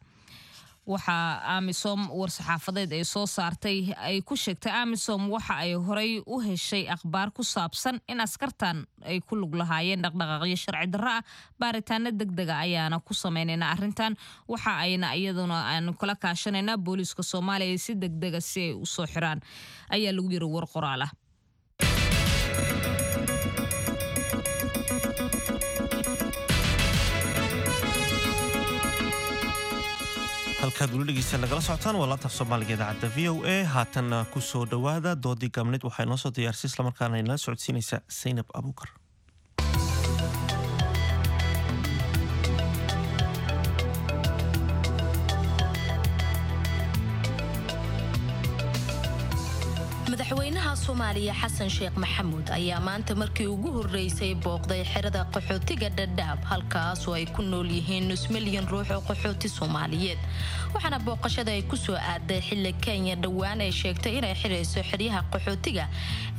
Waxaa AMISOM war-saxaafadeed ay soo saartay ay ku sheegtay AMISOM waxa ay horey u heshay akhbaar ku saabsan in askartan ay ku lug lahaayeen dhaqdhaqaaqyo sharci darro ah. Baaritaano deg dega ayaana ku sameynayna arrintan, waxa ayna iyaduna aanu kala kaashanaynaa booliiska Soomaaliya si deg dega si ay usoo xiraan, ayaa lagu yiri war qoraal ah. Halkaad weli dhegeysta nagala socotaan waa laanta af Soomaaliga idaacadda VOA. Haatanna kusoo dhowaada doodii gaabneed. Waxaa inoo soo diyaarisay islamarkaana inala socodsiinaysa Saynab Abuukar. Madaxweynaha Soomaaliya Xasan Sheekh Maxamuud ayaa maanta markii ugu horreysay booqday xerada qaxootiga Dhadhaab, halkaasoo ay ku nool yihiin nus milyan ruux oo qaxooti Soomaaliyeed. Waxaana booqashada ay kusoo aaday xilli Kenya dhowaan ay sheegtay inay xirayso xeryaha qaxootiga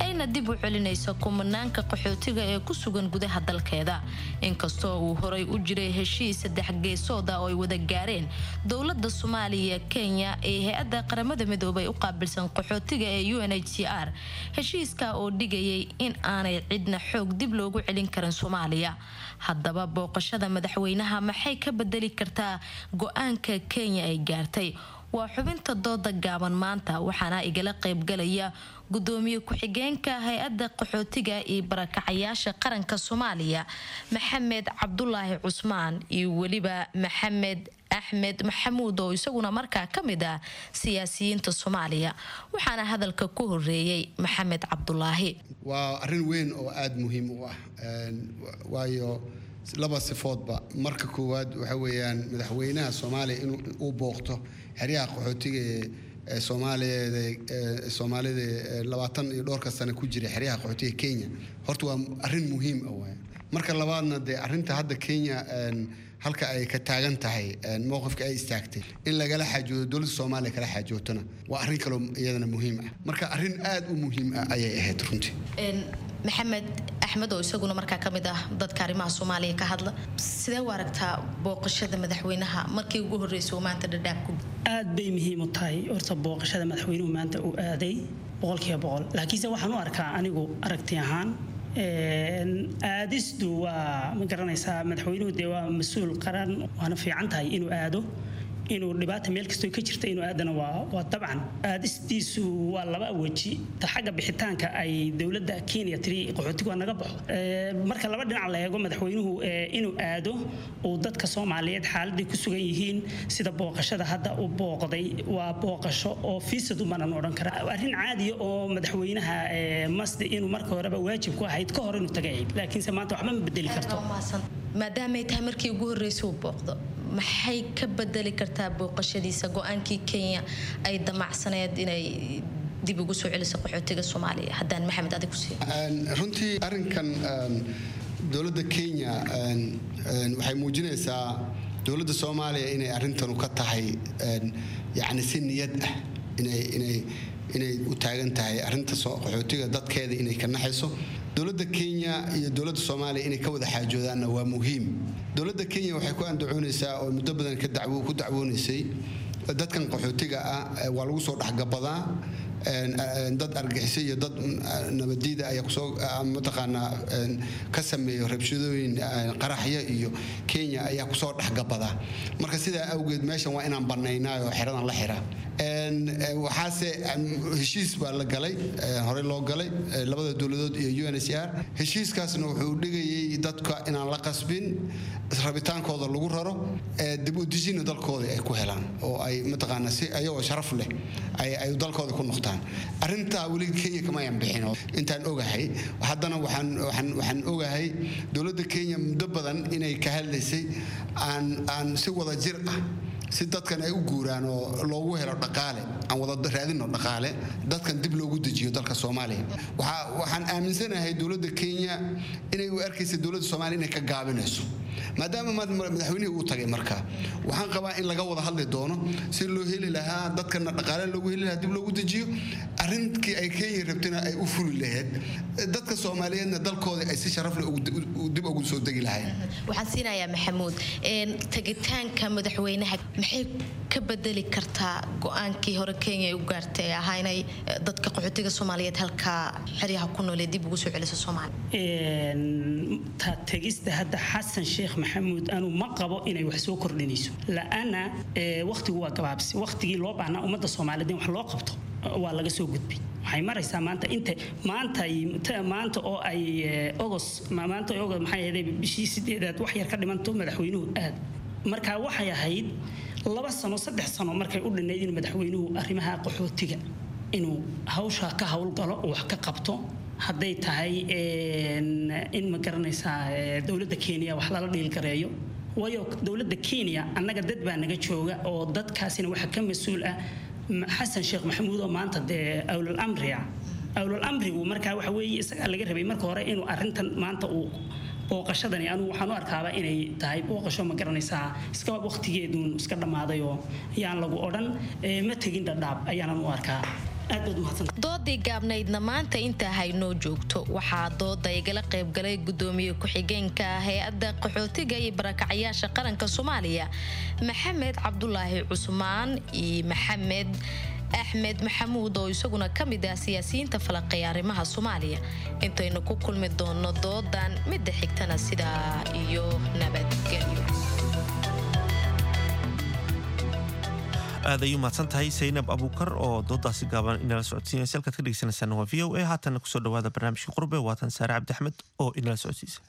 ayna dib u celinayso kumanaanka qaxootiga ee ku sugan gudaha dalkeeda, inkastoo uu horay u jiray heshiis saddex geesooda oo ay wada gaareen dowlada Soomaaliya, Kenya ee hay-adda Qaramada Midoobay u qaabilsan qaxootiga ee UNHCR, heshiiska oo dhigayay in aanay cidna xoog dib loogu celin karin Soomaaliya. Haddaba booqashada madaxweynaha maxay ka bedeli kartaa go-aanka Kenya ay gaartay? Waa xubinta dooda gaaban maanta, waxaana igala qaybgalaya gudoomiye ku-xigeenka hay-adda qaxootiga iyo barakacayaasha qaranka Soomaaliya Maxamed Cabdulaahi Cusmaan iyo weliba Maxamed Axmed Maxamuud oo isaguna markaa ka mid ah siyaasiyiinta Soomaaliya. Waxaana hadalka ku horeeyey Maxamed Cabdulaahi. Waa arrin weyn oo aada muhiim u ah, waayo laba sifoodba. Marka koowaad waxa weeyaan madaxweynaha Soomaaliya in uu booqto xeryaha qaxootiga ee Soomaaliyeed ee Soomaalida 20 iyo dhowrka sano ku jira xeryaha qaxootiga Kenya, horta waa arrin muhiim ah waay. Marka labaadna dee arrinta hadda Kenya halka ay ka taagan tahay, mowqifka ay istaagtay, in lagala xaajoodo, dowladda Soomaaliya kala xaajootona, waa arrin kaloo iyadana muhiim ah. Marka arrin aada u muhiim ah ayay ahayd runtii. Maxamed Axmed oo isaguna markaa ka mid ah dadka arrimaha Soomaaliya ka hadla, sidee u aragtaa booqashada madaxweynaha markii ugu horreysay uu maanta Dhadhaab ku? Aad bay muhiim u tahay horta booqashada madaxweynuhu maanta uu aaday 100%, laakiinse waxaan u arkaa anigu aragti ahaan aadistu waa, ma garanaysaa, madaxweynuhu dee waa mas-uul qaran, waana fiican tahay inuu aado. Inuu dhibaata meel kastoo ka jirta inuu aadana waa dabcan aadistiisu waa laba weji. Ta xagga bixitaanka ay dowladda Kenya tiri qaxootigu waa naga baxo, marka laba dhinac la eego, madaxweynuhu inuu aado uu dadka Soomaaliyeed xaaladday ku sugan yihiin, sida booqashada hadda uu booqday, waa booqasho oo fiisad umanan odhan kara, arrin caadiya oo madaxweynaha masdi inuu marka horeba waajib ku ahayd ka hor inuu tagay ahayd, laakiinse maanta waxba ma bedeli karto. Maadaamay tahay markii ugu horreysay uu booqdo, maxay ka bedeli kartaa booqashadiisa go-aankii Kenya ay damacsaneed inay dib ugu soo celiso qaxootiga Soomaaliya? Haddaan Maxamed adig ku siiyo. Runtii arrinkan dowladda Kenya waxay muujinaysaa dowladda Soomaaliya inay arrintanu ka tahay yacni si niyad ah inay u taagan tahay arrinta qaxootiga dadkeeda, inay ka naxayso. Dowladda Kenya iyo dowladda Soomaaliya inay ka wada xaajoodaanna waa muhiim. Dowladda Kenya waxay ku andacoonaysaa oo muddo badan ka dacwo ku dacwoonaysay, dadkan qaxootiga ah waa lagu soo dhexgabadaa, dad argixisay iyo dad nabadiida ayaa kusoo mataqaanaa ka sameeyo rabshadooyin, qaraxyo iyo Kenya ayaa kusoo dhexgabadaa. Marka sidaa awgeed meeshan waa inaan bannaynaa oo xeradan la xiraa. Waxaase heshiis baa la galay, horey loo galay labada dowladood iyo UNHCR. Heshiiskaasna wuxuu dhigayay dadka inaan la qasbin, rabitaankooda lagu raro, dib u dejina dalkooda ay ku helaan oo ay mataqaanaa si ayagoo sharaf leh ay dalkooda ku noqdaan. Arrintaa weli Kenya kama ayan bixin intaan ogahay. Haddana waxaan ogahay dowladda Kenya muddo badan inay ka hadlaysay aan si wada jir ah si dadkan ay u guuraan oo loogu helo dhaqaale, aan wada raadino dhaqaale, dadkan dib loogu dejiyo dalka Soomaaliya. Waxaan aaminsanahay dowladda Kenya inay u arkaysa dowladda Soomaaliya inay ka gaabinayso maadaama madaxweynihii uu tagay. Marka waxaan qabaa in laga wada hadli doono si loo heli lahaa dadkana dhaqaale loogu heli lahaa, dib loogu dejiyo, arrinkii ay Kenya rabtayna ay u fuli lahayd, dadka Soomaaliyeedna dalkooda ay si sharaf leh dib ugu soo degi lahayd. Waxaan siinayaa Maxamuud. Tegitaanka madaxweynaha maxay ka bedeli kartaa go-aankii hore Kenya ay u gaartay ee ahaa inay dadka qaxootiga Soomaaliyeed halkaa xeryaha ku nool ee dib ugu soo celiso Soomaaliya? Ta tegista hadda Xasan Sheekh Maxamuud anuu ma qabo inay wax soo kordhinayso, la'ana wakhtigu waa gabaabsi. Wakhtigii loo baahnaa ummadda Soomaaliyeed in wax loo qabto waa laga soo gudbay. Waxay maraysaa maanta inta maanta oo ay Ogos maanta Ogos maxay ahayd, bishii 8aad wax yar ka dhimanto madaxweynuhu aad. Marka waxay ahayd 2 sano 3 sano markay u dhinayd in madaxweynuhu arrimaha qaxootiga inuu hawsha ka howlgalo oo wax ka qabto, hadday tahay in ma garanaysaa dowladda Kenya wax lala dhiilgareeyo, waayo dowladda Kenya annaga dad baa naga jooga oo dadkaasina waxa ka mas-uul ah Xasan Sheekh Maxamuud oo maanta dee awlal amriga. Awlal amrigu markaa waxa weeye isagaa laga rabay marka hore inuu arrintan maanta uu booqashadani. Anugu waxaan u arkaaba inay tahay booqasho ma garanaysaa iska waqtigeeduun iska dhammaaday oo yaan lagu odhan ma tegin Dhadhaab ayaanan u arkaa. Doodii gaabnaydna maanta intaa haynoo joogto. Waxaa dooda igala qaybgalay gudoomiye ku-xigeenka hay-adda qaxootiga iyo barakacyaasha qaranka Soomaaliya Maxamed Cabdulaahi Cusmaan iyo Maxamed Axmed Maxamuud oo isaguna ka mid ah siyaasiyiinta falaqeeya arrimaha Soomaaliya. Intaynu ku kulmi doono doodan midda xigtana, sidaa iyo nabadgelyo. Aad ayuu mahadsan tahay Saynab Abuukar oo doodaasi gaaban inala socodsiinaysa. Halkaad ka dhegeysanaysaana waa VOA. Haatanna kusoo dhawaada barnaamijka Qurbe. Waatan Saare Cabdi Axmed oo inala socodsiisa.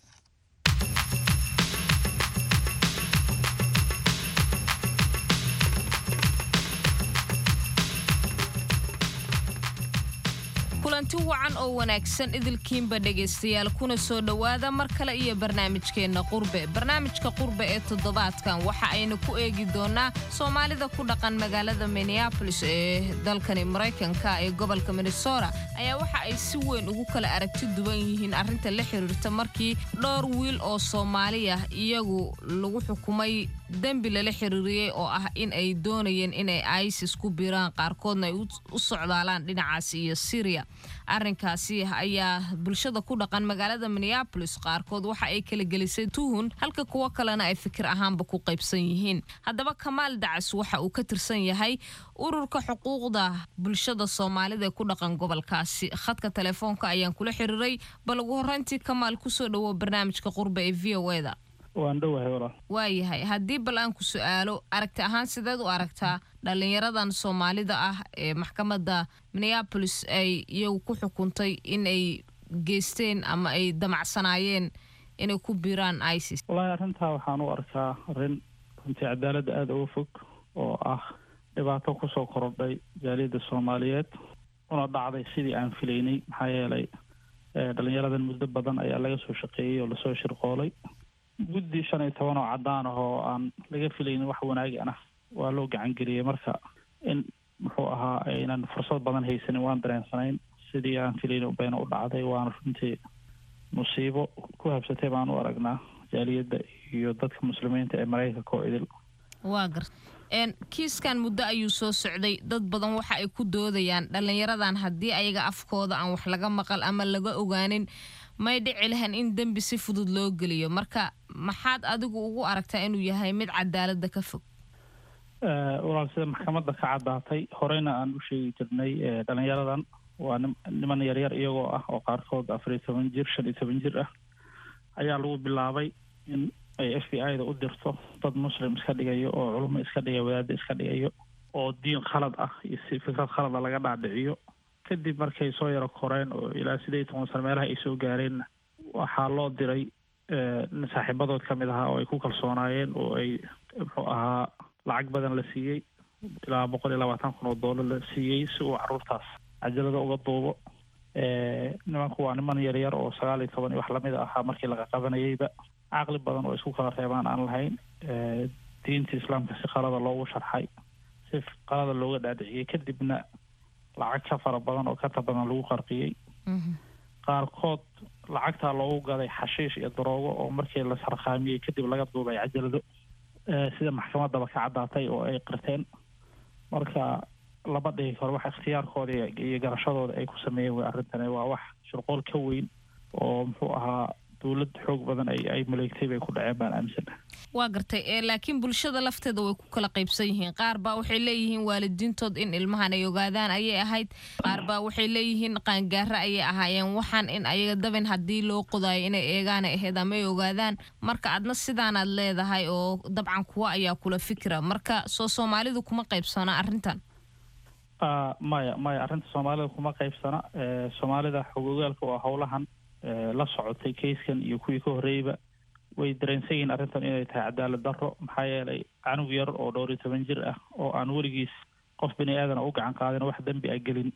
Kulanti wacan oo wanaagsan idilkiinba dhegaystayaal, kuna soo dhowaada mar kale iyo barnaamijkeenna Qurbe. Barnaamijka Qurbe ee toddobaadkan waxa aynu ku eegi doonaa Soomaalida ku dhaqan magaalada Minneapolis ee dalkani Maraykanka ee gobolka Minnesota ayaa waxa ay si weyn ugu kala aragti duwan yihiin arrinta la xiriirta markii dhowr wiil oo Soomaali ah iyagu lagu xukumay dembi lala xiriiriyey oo ah in ay doonayeen inay ISIS ku biiraan, qaarkoodna ay u socdaalaan dhinacaasi iyo Syria. Arrinkaasi ayaa bulshada ku dhaqan magaalada Minneapolis qaarkood waxa ay kala gelisay tuhun, halka kuwo kalena ay fikir ahaanba ku qaybsan yihiin. Haddaba Kamaal Dacas waxa uu ka tirsan yahay ururka xuquuqda bulshada Soomaalida ee ku dhaqan gobolkaasi. Khadka telefoonka ayaan kula xiriiray. Bal ugu horreyntii, Kamaal, kusoo dhawo barnaamijka Qurbe ee VOA da. Waan dhowahay walaal. Waayahay, haddii bal aan ku su-aalo, aragti ahaan sideed u aragtaa dhalinyaradan Soomaalida ah ee maxkamadda Minneapolis ay iyagu ku xukuntay in ay geysteen ama ay damacsanaayeen inay ku biiraan ISIS? Wallaahi arrintaa waxaan u arkaa arrin runtii cadaaladda aada uga fog oo ah dhibaato kusoo korodhay jaaliyadda Soomaaliyeed, una dhacday sidii aan filaynay. Maxaa yeelay dhalinyaradan muddo badan ayaa laga soo shaqeeyey oo lasoo shirqoolay. Guddi 15 oo caddaan ah oo aan laga filaynin wax wanaagan ah waa loo gacan geliyey. Marka in muxuu ahaa aynan fursad badan haysanin waan dareensanayn. Sidii aan filaynin bayna u dhacday, waana runtii musiibo ku habsatay baan u aragnaa jaaliyadda iyo dadka Muslimiinta ee Maraykanka oo idil. Waa garta. Kiiskan muddo ayuu soo socday. Dad badan waxa ay ku doodayaan dhalinyaradan haddii ayaga afkooda aan wax laga maqal ama laga ogaanin, may dhici lahan in dembi si fudud loo geliyo. Marka maxaad adigu ugu aragtaa inuu yahay mid cadaaladda ka fog? Walaal, sida maxkamadda ka caddaatay, horeyna aan u sheegi jirnay, dhalinyaradan waa niman yaryar iyagoo ah oo qaarkood 14 jir, 15 jir ah ayaa lagu bilaabay in ay FBI da u dirto dad Muslim iska dhigayo oo culimo iska dhigayo, wadaada iska dhigayo, oo diin khalad ah iyo si fikrad khalada laga dhaadhiciyo. Kadib markay soo yaro koreen oo ilaa 18 sano meelaha ay soo gaareenna, waxaa loo diray nin saaxiibadood ka mid ahaa oo ay ku kalsoonaayeen oo ay muxuu ahaa lacag badan la siiyey, ilaa $120,000 la siiyey, si uu caruurtaas cajalada uga duubo. Nimanku waa niman yaryar oo 19 iyo wax lamid ahaa markii laga qabanayeyba, caqli badan oo isku kala reebaan aan lahayn, diinta Islaamka si qalada loogu sharxay, si qalada looga dhaadhiciyey, kadibna lacag ka fara badan oo kata badan lagu qarqiyey. Qaarkood lacagtaa loogu gaday xashiish iyo daroogo oo markii la sarkhaamiyey kadib laga duubay cajalado, sida maxkamaddaba ka caddaatay oo ay qirteen. Marka lama dhihi karo wax ikhtiyaarkooda iyo garashadooda ay ku sameeyeen wey. Arrintani waa wax shirqool ka weyn oo muxuu ahaa dowlad xoog badan ay maleegtay bay ku dhaceen baan aaminsanahay. Waa gartay, laakiin bulshada lafteeda way ku kala qaybsan yihiin. Qaar baa waxay leeyihiin waalidiintood in ilmahan ay ogaadaan ayay ahayd, qaar baa waxay leeyihiin qaangaaro ayay ahaayeen, waxaan in ayaga dabin haddii loo qodaayo inay eegaanay ahayd ama ay ogaadaan. Marka adna sidaanaad leedahay oo dabcan kuwa ayaa kula fikra. Marka soo Soomaalidu kuma qaybsana arrintan? Maya, maya, arrinta Soomaalida kuma qaybsana. Soomaalida xogogaalka oo howlahan la socotay, kayskan iyo kuwii ka horreeyba, way dareensan yihiin arrintan inay tahay cadaalad darro. Maxaa yeelay canug yar oo dhowr iyo toban jir ah oo aan weligiis qof bini aadana u gacan qaadin, wax dembi a gelin,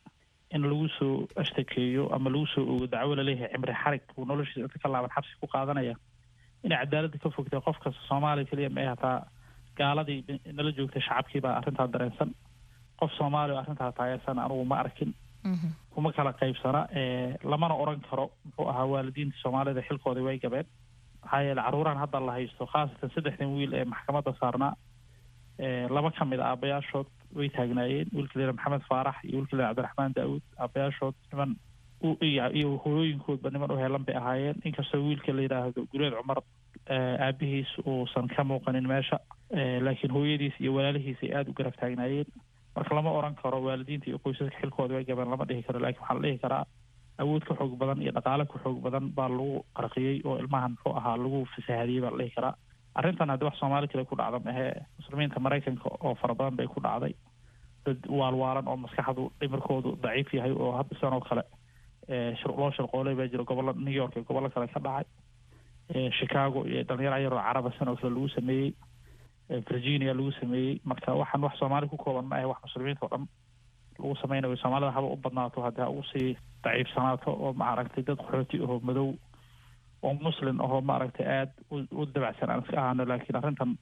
in lagu soo ashtakeeyo ama lagu soo ogo dacwo laleeyahay cimri xarig uu noloshiisa inta ka laaban xabsi ku qaadanaya, inay cadaaladda ka fogtay qof kasta, Soomaaliya keliya ma ay, hataa gaaladii nala joogtay, shacabkii baa arrintaa dareensan. Qof Soomaaliya oo arrintaa taageersan anugu ma arkin. Kuma kala qaybsana, lamana oran karo muxuu ahaa waalidiinta Soomaalida xilkooda way gabeen. Maxaa yeele carruurahan hadda la haysto, khaasatan saddexdan wiil ee maxkamadda saarnaa, laba ka mid a aabayaashood way taagnaayeen, wiilka la Maxamed Faarax iyo wiilka la Cabdiraxmaan Daawud. Aabayaashood niman iyo hooyooyinkoodba niman u heelan bay ahaayeen, inkastoo wiilka la yidhaahdo Gureed Cumar aabihiis uusan ka muuqanin meesha, laakiin hooyadiis iyo walaalihiis ay aada u garab taagnaayeen. Marka lama oran karo waalidiinta iyo qoysaska xilkooda way gabeen, lama dhihi karo, laakiin waxaa la dhihi karaa awood ka xoog badan iyo dhaqaale ka xoog badan baa lagu qarqiyey oo ilmahan muxuu ahaa lagu fasahaadiyey baa la dhihi karaa. Arrintan haddi wax Soomaali kale ku dhacda mahee, Muslimiinta Maraykanka oo fara badan bay ku dhacday. Dad waalwaalan oo maskaxdu dhimirkoodu daciif yahay oo hadda sidan oo kale loo shirqoolay baa jira. Gobollo New York iyo gobollo kale ka dhacay, Chicago iyo dhalinyaro yaroo Caraba sidan oo kale lagu sameeyey, Virginia lagu sameeyey. Marka waxaan wax Soomaali ku kooban ma ahe, wax Muslimiinta oo dhan lagu sameynayo. Soomaalida haba u badnaato, haddii ha ugu sii daciifsanaato oo maaragtay dad qaxooti ahoo madow oo Muslim ahoo maaragtay aada u dabacsan aan iska ahaano, laakiin arrintan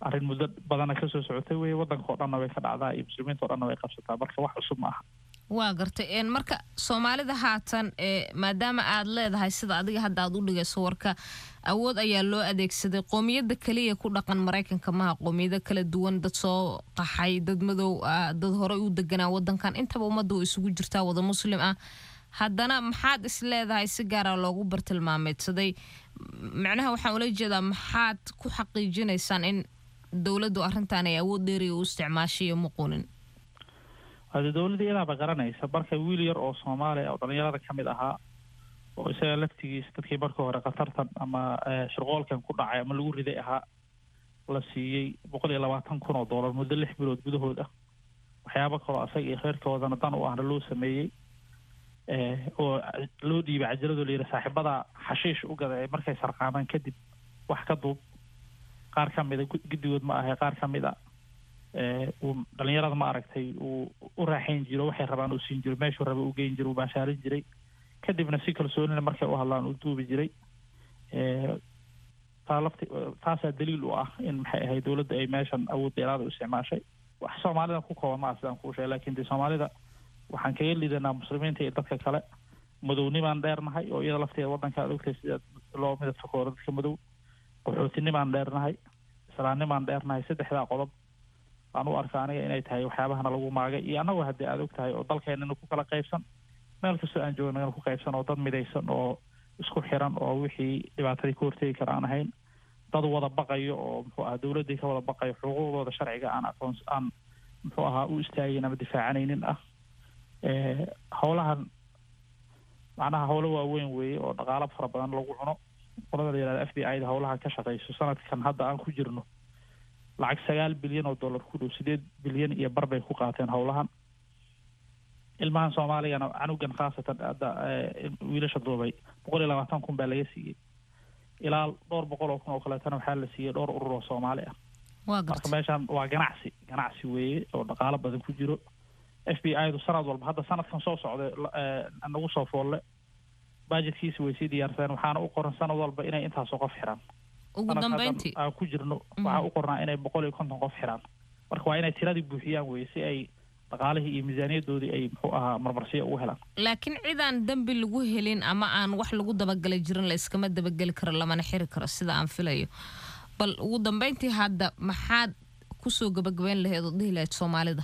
arrin muddo badana kasoo socotay wey. Waddanka oo dhanna way ka dhacdaa iyo Muslimiinta o dhanna way qabsataa. Marka wax cusub ma aha. Waa gartay. Marka Soomaalida haatan, maadaama aad leedahay sida adiga hadda aad u dhigayso warka, awood ayaa loo adeegsaday, qoomiyadda keliya ku dhaqan Maraykanka maha, qoomiyado kala duwan, dad soo qaxay, dad madow ah, dad horey u deganaa wadankan, intaba ummadda way isugu jirtaa wada Muslim ah. Haddana maxaad is leedahay si gaara loogu bartilmaameedsaday? Macnaha waxaan ula jeedaa, maxaad ku xaqiijinaysaan in dowladdu arrintan ay awood dheeriya u isticmaashay iyo muquunin? Hade dowladda iyadaaba garanaysa. Marka wiil yar oo Soomaaliya oo dhalinyarada ka mid ahaa Oo isaga laftigiisa dadkii marka hore khatartan ama shirqoolkan ku dhacay ama lagu riday ahaa, la siiyey $120,000 muddo 6 bilood gudahood ah. Waxyaabo kaloo asaga iyo reerkoodana dan u ahna loo sameeyey, oo loo dhiibay cajalado la yidhi saaxiibada xashiish u gada ee markay sarqaamaan kadib wax ka duub. Qaar ka mida, guddigood ma ahay, qaar ka mid a uu dhalinyarada, ma aragtay, uu u raaxayn jiro, waxay rabaan uu siin jiro, meeshuu raba u geyn jiro, uu baashaalin jiray, kadibna si kalsoonina markay u hadlaan uu duubi jiray. Taa lafti taasaa daliil u ah in, maxay ahayd, dowladda ay meeshan awood dheeraada u isticmaashay. Wax Soomaalida ku kooban maa sidaan kuu sheegay, laakiin dee Soomaalida waxaan kaga lidanaa muslimiinta iyo dadka kale madownimaan dheernahay, oo iyada lafteeda waddanka aad ogtahay sida loo midab takooro dadka madow. Qaxootinimaan dheernahay, islaamnimaan dheernahay. Saddexdaa qodob baan u arka aniga inay tahay waxyaabahana lagu maagay. Iyo annagu haddii aad og tahay oo dalkeenana ku kala qaybsan, meel kastoo aan joogno ku qaybsan, oo dad midaysan oo isku xiran oo wixii dhibaatadii ka hortegi kara aan ahayn, dad wada baqayo oo, muxuu ahaa, dowladdii ka wada baqayo, xuquuqdooda sharciga aan aqoons aan, muxuu ahaa, u istaagin ama difaacanaynin ah. Howlahan macnaha howlo waaweyn weeye oo dhaqaalo fara badan lagu cuno. Qolada la yihahda FBI da howlaha ka shaqeyso, sanadkan hadda aan ku jirno lacag $9 bilyan ku dhow, 8.5 bilyan bay ku qaateen howlahan. Ilmahan Soomaaligana, canugan khaasatan hadda wiilasha duubay, 120,000 baa laga siiyey. Ilaa dhowr boqol oo kun oo kaleetana waxaa la siiyey dhowr urur oo Soomaali ah. Marka meeshan waa ganacsi, ganacsi weeye oo dhaqaalo badan ku jiro. FBI du sanad walba, hadda sanadkan soo socda nagu soo foolle, budgetkiisa way sii diyaarsadeen, waxaana u qoran sanad walba inay intaasoo qof xiraan. Ugu dambeyntii, aan ku jirno waxaa u qornaa inay 150 qof xiraan. Marka waa inay tiradii buuxiyaan weye si ay dhaqaalihii iyo miisaaniyadoodii ay, muxuu ahaa, marmarsiyo ugu helaan. Laakiin cid aan dembi lagu helin ama aan wax lagu dabagalay jirin la iskama dabageli karo, lamana xiri karo, sida aan filayo. Bal ugu dambeyntii hadda maxaad kusoo gabagabeyn lahayd oo dhihi lahayd Soomaalida?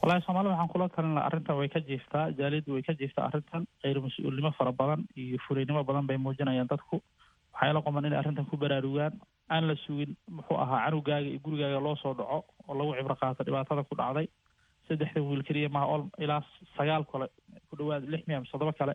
Wallahi Soomaalida waxaan kula talin lahaa, arrintan way ka jiiftaa, jaaliyaddu way ka jiiftaa arrintan. Khayr mas-uulnimo fara badan iyo fulaynimo badan bay muujinayaan dadku. Waxaa ila qoman inay arrintan ku baraarugaan, aan la sugin, muxuu ahaa, canugaaga iyo gurigaaga loo soo dhaco oo lagu cibro qaato dhibaatada ku dhacday. Saddexda wiil keliya maha, ol ilaa sagaal kale ku dhawaad, lix miya mise toddoba kale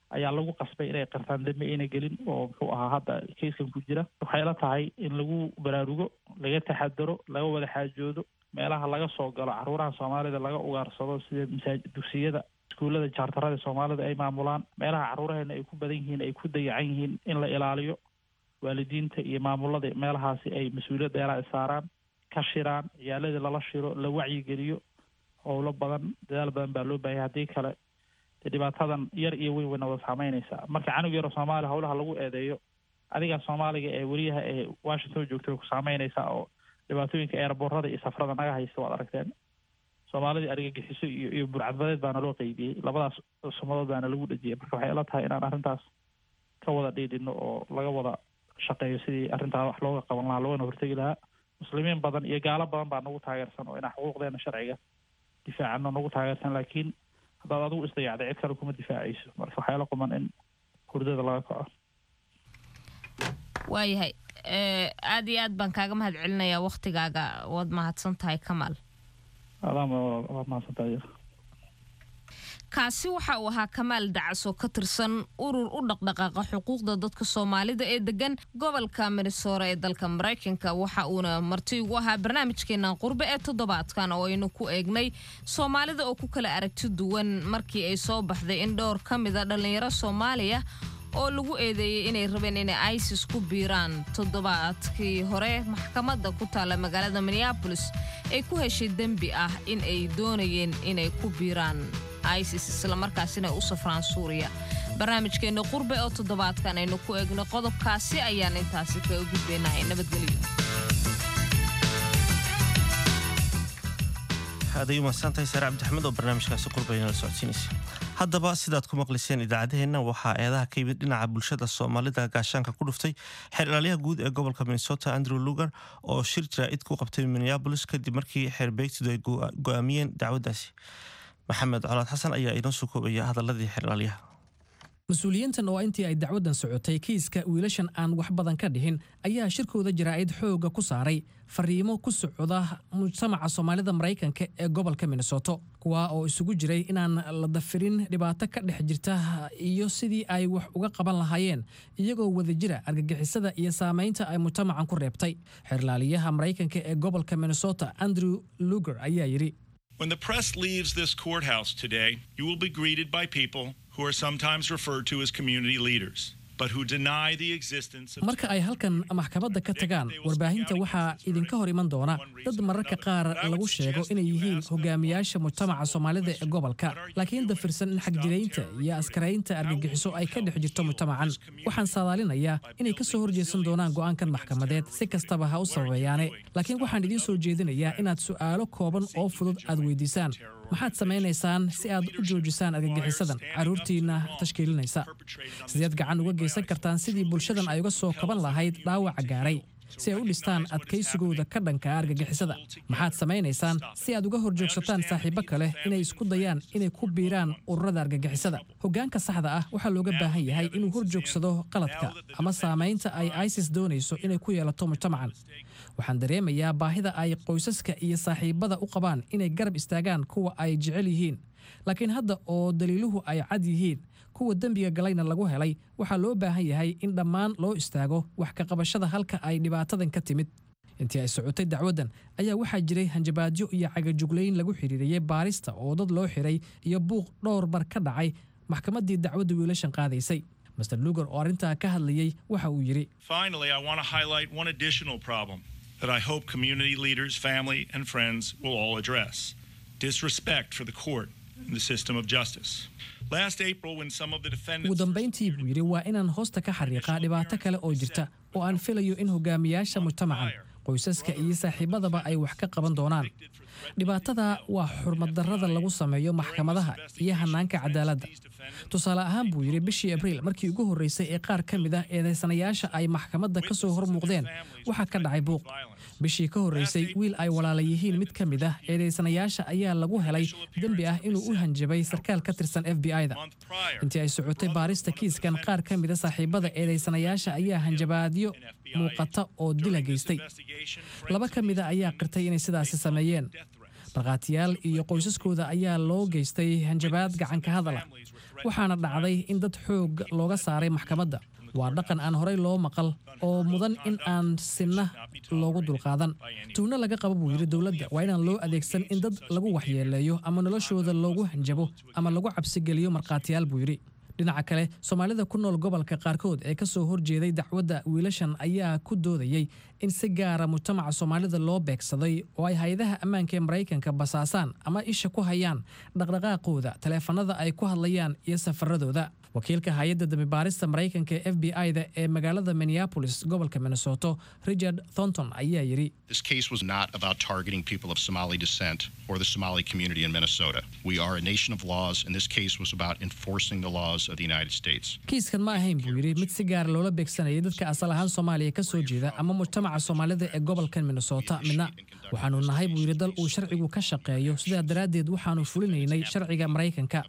ayaa lagu qasbay inay qirtaan dembi ayna gelin oo, muxuu ahaa, hadda kayskan ku jira. Waxay ila tahay in lagu baraarugo, laga taxadaro, laga wada xaajoodo meelaha laga soo galo caruuraha Soomaalida laga ugaarsado, sida masaajid, dugsiyada, iskuullada charterada Soomaalida ay maamulaan, meelaha caruuraheena ay ku badan yihiin, ay ku dayacan yihiin, in la ilaaliyo. Waalidiinta iyo maamulada meelahaasi ay mas-uuliyad dheeraa saaraan, ka shiraan, ciyaaladii lala shiro, la wacyigeliyo. Howlo badan, dadaal badan baa loo baahaya. Haddii kale dee dhibaatadan yar iyo weyn wayna wada saameynaysaa. Marka canug yaro Soomaaliya howlaha lagu eedeeyo, adigaa Soomaaliga ee weriyaha ee Washington joogta way ku saameynaysaa, oo dhibaatooyinka airportada iyo safrada naga haysta waad aragteen. Soomaalidii argagixiso iyo burcadbadeed baana loo qeybiyey, labadaas sumadood baana lagu dhejiyey. Marka waxay ila tahay inaan arrintaas ka wada dhiidhino oo laga wada shaqeeyo sidii arrintaa wax looga qaban lahaa, loogana hortegi lahaa. Muslimiin badan iyo gaalo badan baa nagu taageersan oo inaan xuquuqdeena sharciga difaacano nagu taageersan, laakiin haddaad adigu isdayacday cid kale kuma difaacayso. Marka waxaa ila quman in hurdada laga kaco. Waayahay, aad iyo aad baan kaaga mahad celinayaa waktigaaga. Waad mahadsan tahay, Kamaal. Adaama, waad mahadsan tahay. Kaasi waxa uu ahaa Kamaal Dacas oo ka tirsan urur u dhaqdhaqaaqa xuquuqda dadka Soomaalida ee degan gobolka Minnesota ee dalka Maraykanka. Waxa uuna marti ugu ahaa barnaamijkeenan qurbe ee toddobaadkan, oo aynu ku eegnay Soomaalida oo ku kala aragti duwan markii ay soo baxday in dhowr ka mida dhallinyaro Soomaaliya oo lagu eedeeyey inay rabeen inay ISIS ku biiraan toddobaadkii hore maxkamadda ku taalla magaalada Minneapolis ay ku heshay dembi ah in ay doonayeen inay ku biiraan ISIS, islamarkaasina u safraan Suuriya. Barnaamijkeenna qurbe oo toddobaadkan aynu ku eegno qodobkaasi ayaan intaasi kaga gudbaynahay. Nabadgelyo. Aaday umahadsantahay Saare Cabdixmed oo barnaamijkaasi qurbayna la socodsiinaysa. Haddaba sidaad ku maqliseen idaacaddaheenna, waxaa eedaha ka yimid dhinaca bulshada Soomaalida gaashaanka ku dhuftay xeer ilaaliyaha guud ee gobolka Minnesota, Andrew Lugar, oo shir jaraa'id ku qabtay Minneapolis kadib markii xeer beegtidu ay go'aamiyeen dacwaddaasi. Maxamed Colaad Xasan ayaa inoo soo koobaya hadaladii xeer ilaaliyaha. Mas-uuliyiintan oo intii ay dacwaddan socotay kiiska wiilashan aan wax badan ka dhihin ayaa shirkooda jaraa'id xoogga ku saaray fariimo ku socda mujtamaca Soomaalida Maraykanka ee gobolka Minnesota, kuwaa oo isugu jiray inaan la dafirin dhibaato ka dhex jirta iyo sidii ay wax uga qaban lahaayeen iyagoo wadajira argagixisada iyo saamaynta ay mujtamacan ku reebtay. Xeerlaaliyaha Maraykanka ee gobolka Minnesota, Andrew Luger, ayaa yidhi: When the press leaves this courthouse today, you will be greeted by people who are sometimes referred to as community leaders, but who deny the existence of Marka ay halkan maxkamadda ka tagaan warbaahinta, waxaa idinka hor iman doona dad mararka qaar lagu sheego inay yihiin hogaamiyaasha mujtamaca Soomaalida ee gobolka, laakiin dafirsan in xagjiraynta iyo askaraynta argagixiso ay ka dhex jirto mujtamacan. Waxaan saadaalinayaa inay ka soo horjeesan doonaan go'aankan maxkamadeed, si kastaba ha u sababeeyaane, laakiin waxaan idiin soo jeedinayaa inaad su'aalo kooban oo fudud aad weydiisaan: Maxaad samaynaysaan si aad u joojisaan argagixisadan carruurtiinna tashkiilinaysa? Sideed gacan uga geysan kartaan sidii bulshadan ay uga soo kaban lahayd dhaawaca gaaray, si ay u dhistaan adkaysigooda ka dhanka argagixisada? Maxaad samaynaysaan si aad uga horjoogsataan saaxiibo kale inay isku dayaan inay ku biiraan ururada argagixisada? Hoggaanka saxda ah waxaa looga baahan yahay inuu horjoogsado qaladka ama saamaynta ay ISIS doonayso inay ku yeelato mujtamacan. Waxaan dareemayaa baahida ay qoysaska iyo saaxiibada u qabaan inay garab istaagaan kuwa ay jecel yihiin, laakiin hadda oo daliiluhu ay cad yihiin, kuwa dembiga galayna lagu helay, waxaa loo baahan yahay in dhammaan loo istaago wax ka qabashada halka ay dhibaatadan ka timid. Intii ay socotay dacwaddan ayaa waxaa jiray hanjabaadyo iyo cagajuglayn lagu xidhiiriyey baarista oo dad loo xiray iyo buuq dhowr bar ka dhacay maxkamaddii dacwadda wiilashan qaadaysay. Mister Luger oo arrintaa ka hadlayey waxa uu yidhi: Finally, I want to highlight one additional problem that I hope community leaders, family, and friends will all address: disrespect for the court and the system of justice. Last April, when some of the defendants Ugu dambayntii, buu yidhi, waa inaan hoosta ka xariiqaa dhibaato kale oo jirta oo aan filayo in hogaamiyaasha mujtamacan, qoysaska iyo saaxiibadaba ay wax ka qaban doonaan. Dhibaatada waa xurmaddarrada lagu sameeyo maxkamadaha iyo hanaanka cadaaladda. Tusaale ahaan, buu yidhi, bishii Abriil markii ugu horreysay ee qaar ka mid ah eedaysanayaasha ay maxkamadda ka soo hor muuqdeen, waxaa ka dhacay buuq. Bishii ka horreysay, wiil ay walaala yihiin mid ka mid ah eedaysanayaasha ayaa lagu helay dembi ah inuu u hanjabay sarkaal ka tirsan FBI-da. Intii ay socotay baarista kiiskan, qaar ka mid a saaxiibada eedaysanayaasha ayaa hanjabaadyo muuqata oo dila geystay. Laba ka mida ayaa qirtay inay sidaasi sameeyeen. Markhaatiyaal iyo qoysaskooda ayaa loo geystay hanjabaad gacanka hadala, waxaana dhacday in dad xoog looga saaray maxkamadda. Waa dhaqan aan horey loo maqal oo mudan in aan sinna loogu dulqaadan. Tuhno laga qabo, buu yidhi, dowladda waa inaan loo adeegsan in dad lagu waxyeeleeyo ama noloshooda loogu hanjabo ama lagu cabsigeliyo markhaatiyaal, buu yidhi. Dhinaca kale, Soomaalida ku nool gobolka qaarkood ee ka soo horjeeday dacwadda wiilashan ayaa ku doodayey in si gaara mujtamaca Soomaalida loo beegsaday oo ay hay-adaha ammaanka ee Maraykanka basaasaan ama isha ku hayaan dhaqdhaqaaqooda, taleefanada ay ku hadlayaan iyo safaradooda. Wakiilka hay-adda dambibaarista Maraykanka ee FBI-da ee magaalada Minneapolis, gobolka Minnesota, Richard Thornton, ayaa yidhi: This case was not about targeting people of Somali descent or the Somali community in Minnesota. We are a nation of laws, and this case was about enforcing the laws of the United States. Kiiskan ma ahayn, buu yidhi, mid si gaara loola beegsanayay dadka asal ahaan Soomaaliya ka soo jeeda ama mujtamaca Soomaalida ee gobolkan Minnesota midna. Waxaanu nahay, buu yidhi, dal uu sharcigu ka shaqeeyo, sidaa daraaddeed waxaanu fulinaynay sharciga Maraykanka.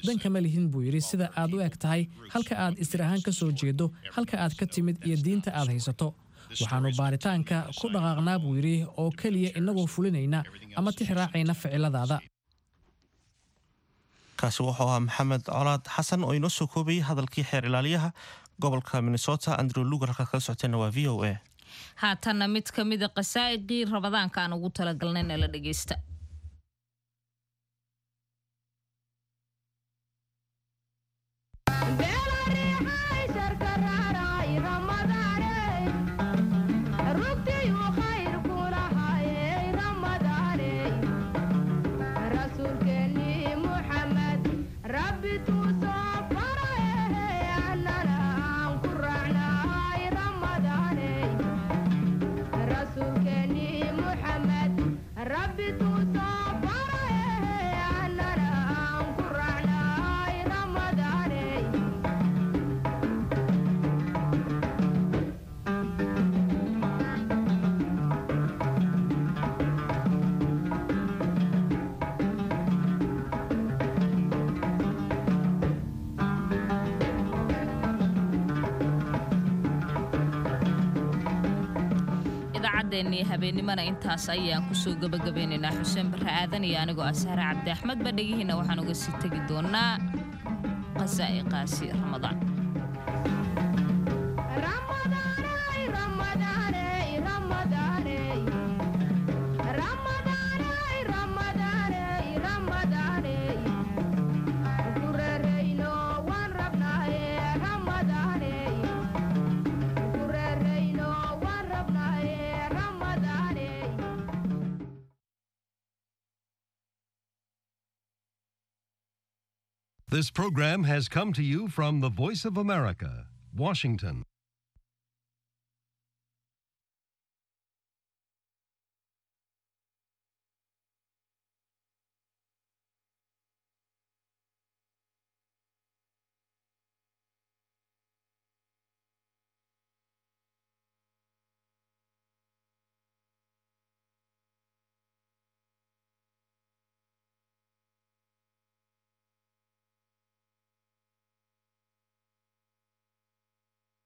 Dan kama lihin, buu yidhi, sida aad u eg tahay, halka aad isir ahaan ka soo jeedo, halka aad ka timid iyo diinta aad haysato. Waxaanu baaritaanka ku dhaqaaqnaa, buu yidhi, oo keliya innagoo fulinayna ama tix raacayna ficiladaada. Kaasi wuxuu ahaa Maxamed Colaad Xasan oo inoo soo koobayay hadalkii xeer ilaaliyaha gobolka Minnesota, Andrew Luger. Halkaad kala socoteenna waa VOA. Haatanna mid ka mida qasaa'iqii Ramadaanka aan ugu talagalnay nala dhegeysta. Rabbi. Idaacaddeenii habeennimana intaas ayaan kusoo gabagabeynaynaa. Xuseen Barre Aadan iyo anigoo ah Sahre Cabdi Axmed ba dhegihiina waxaan uga sii tegi doonaa qasaa'iqaasi Ramadaan. This program has come to you from the Voice of America, Washington.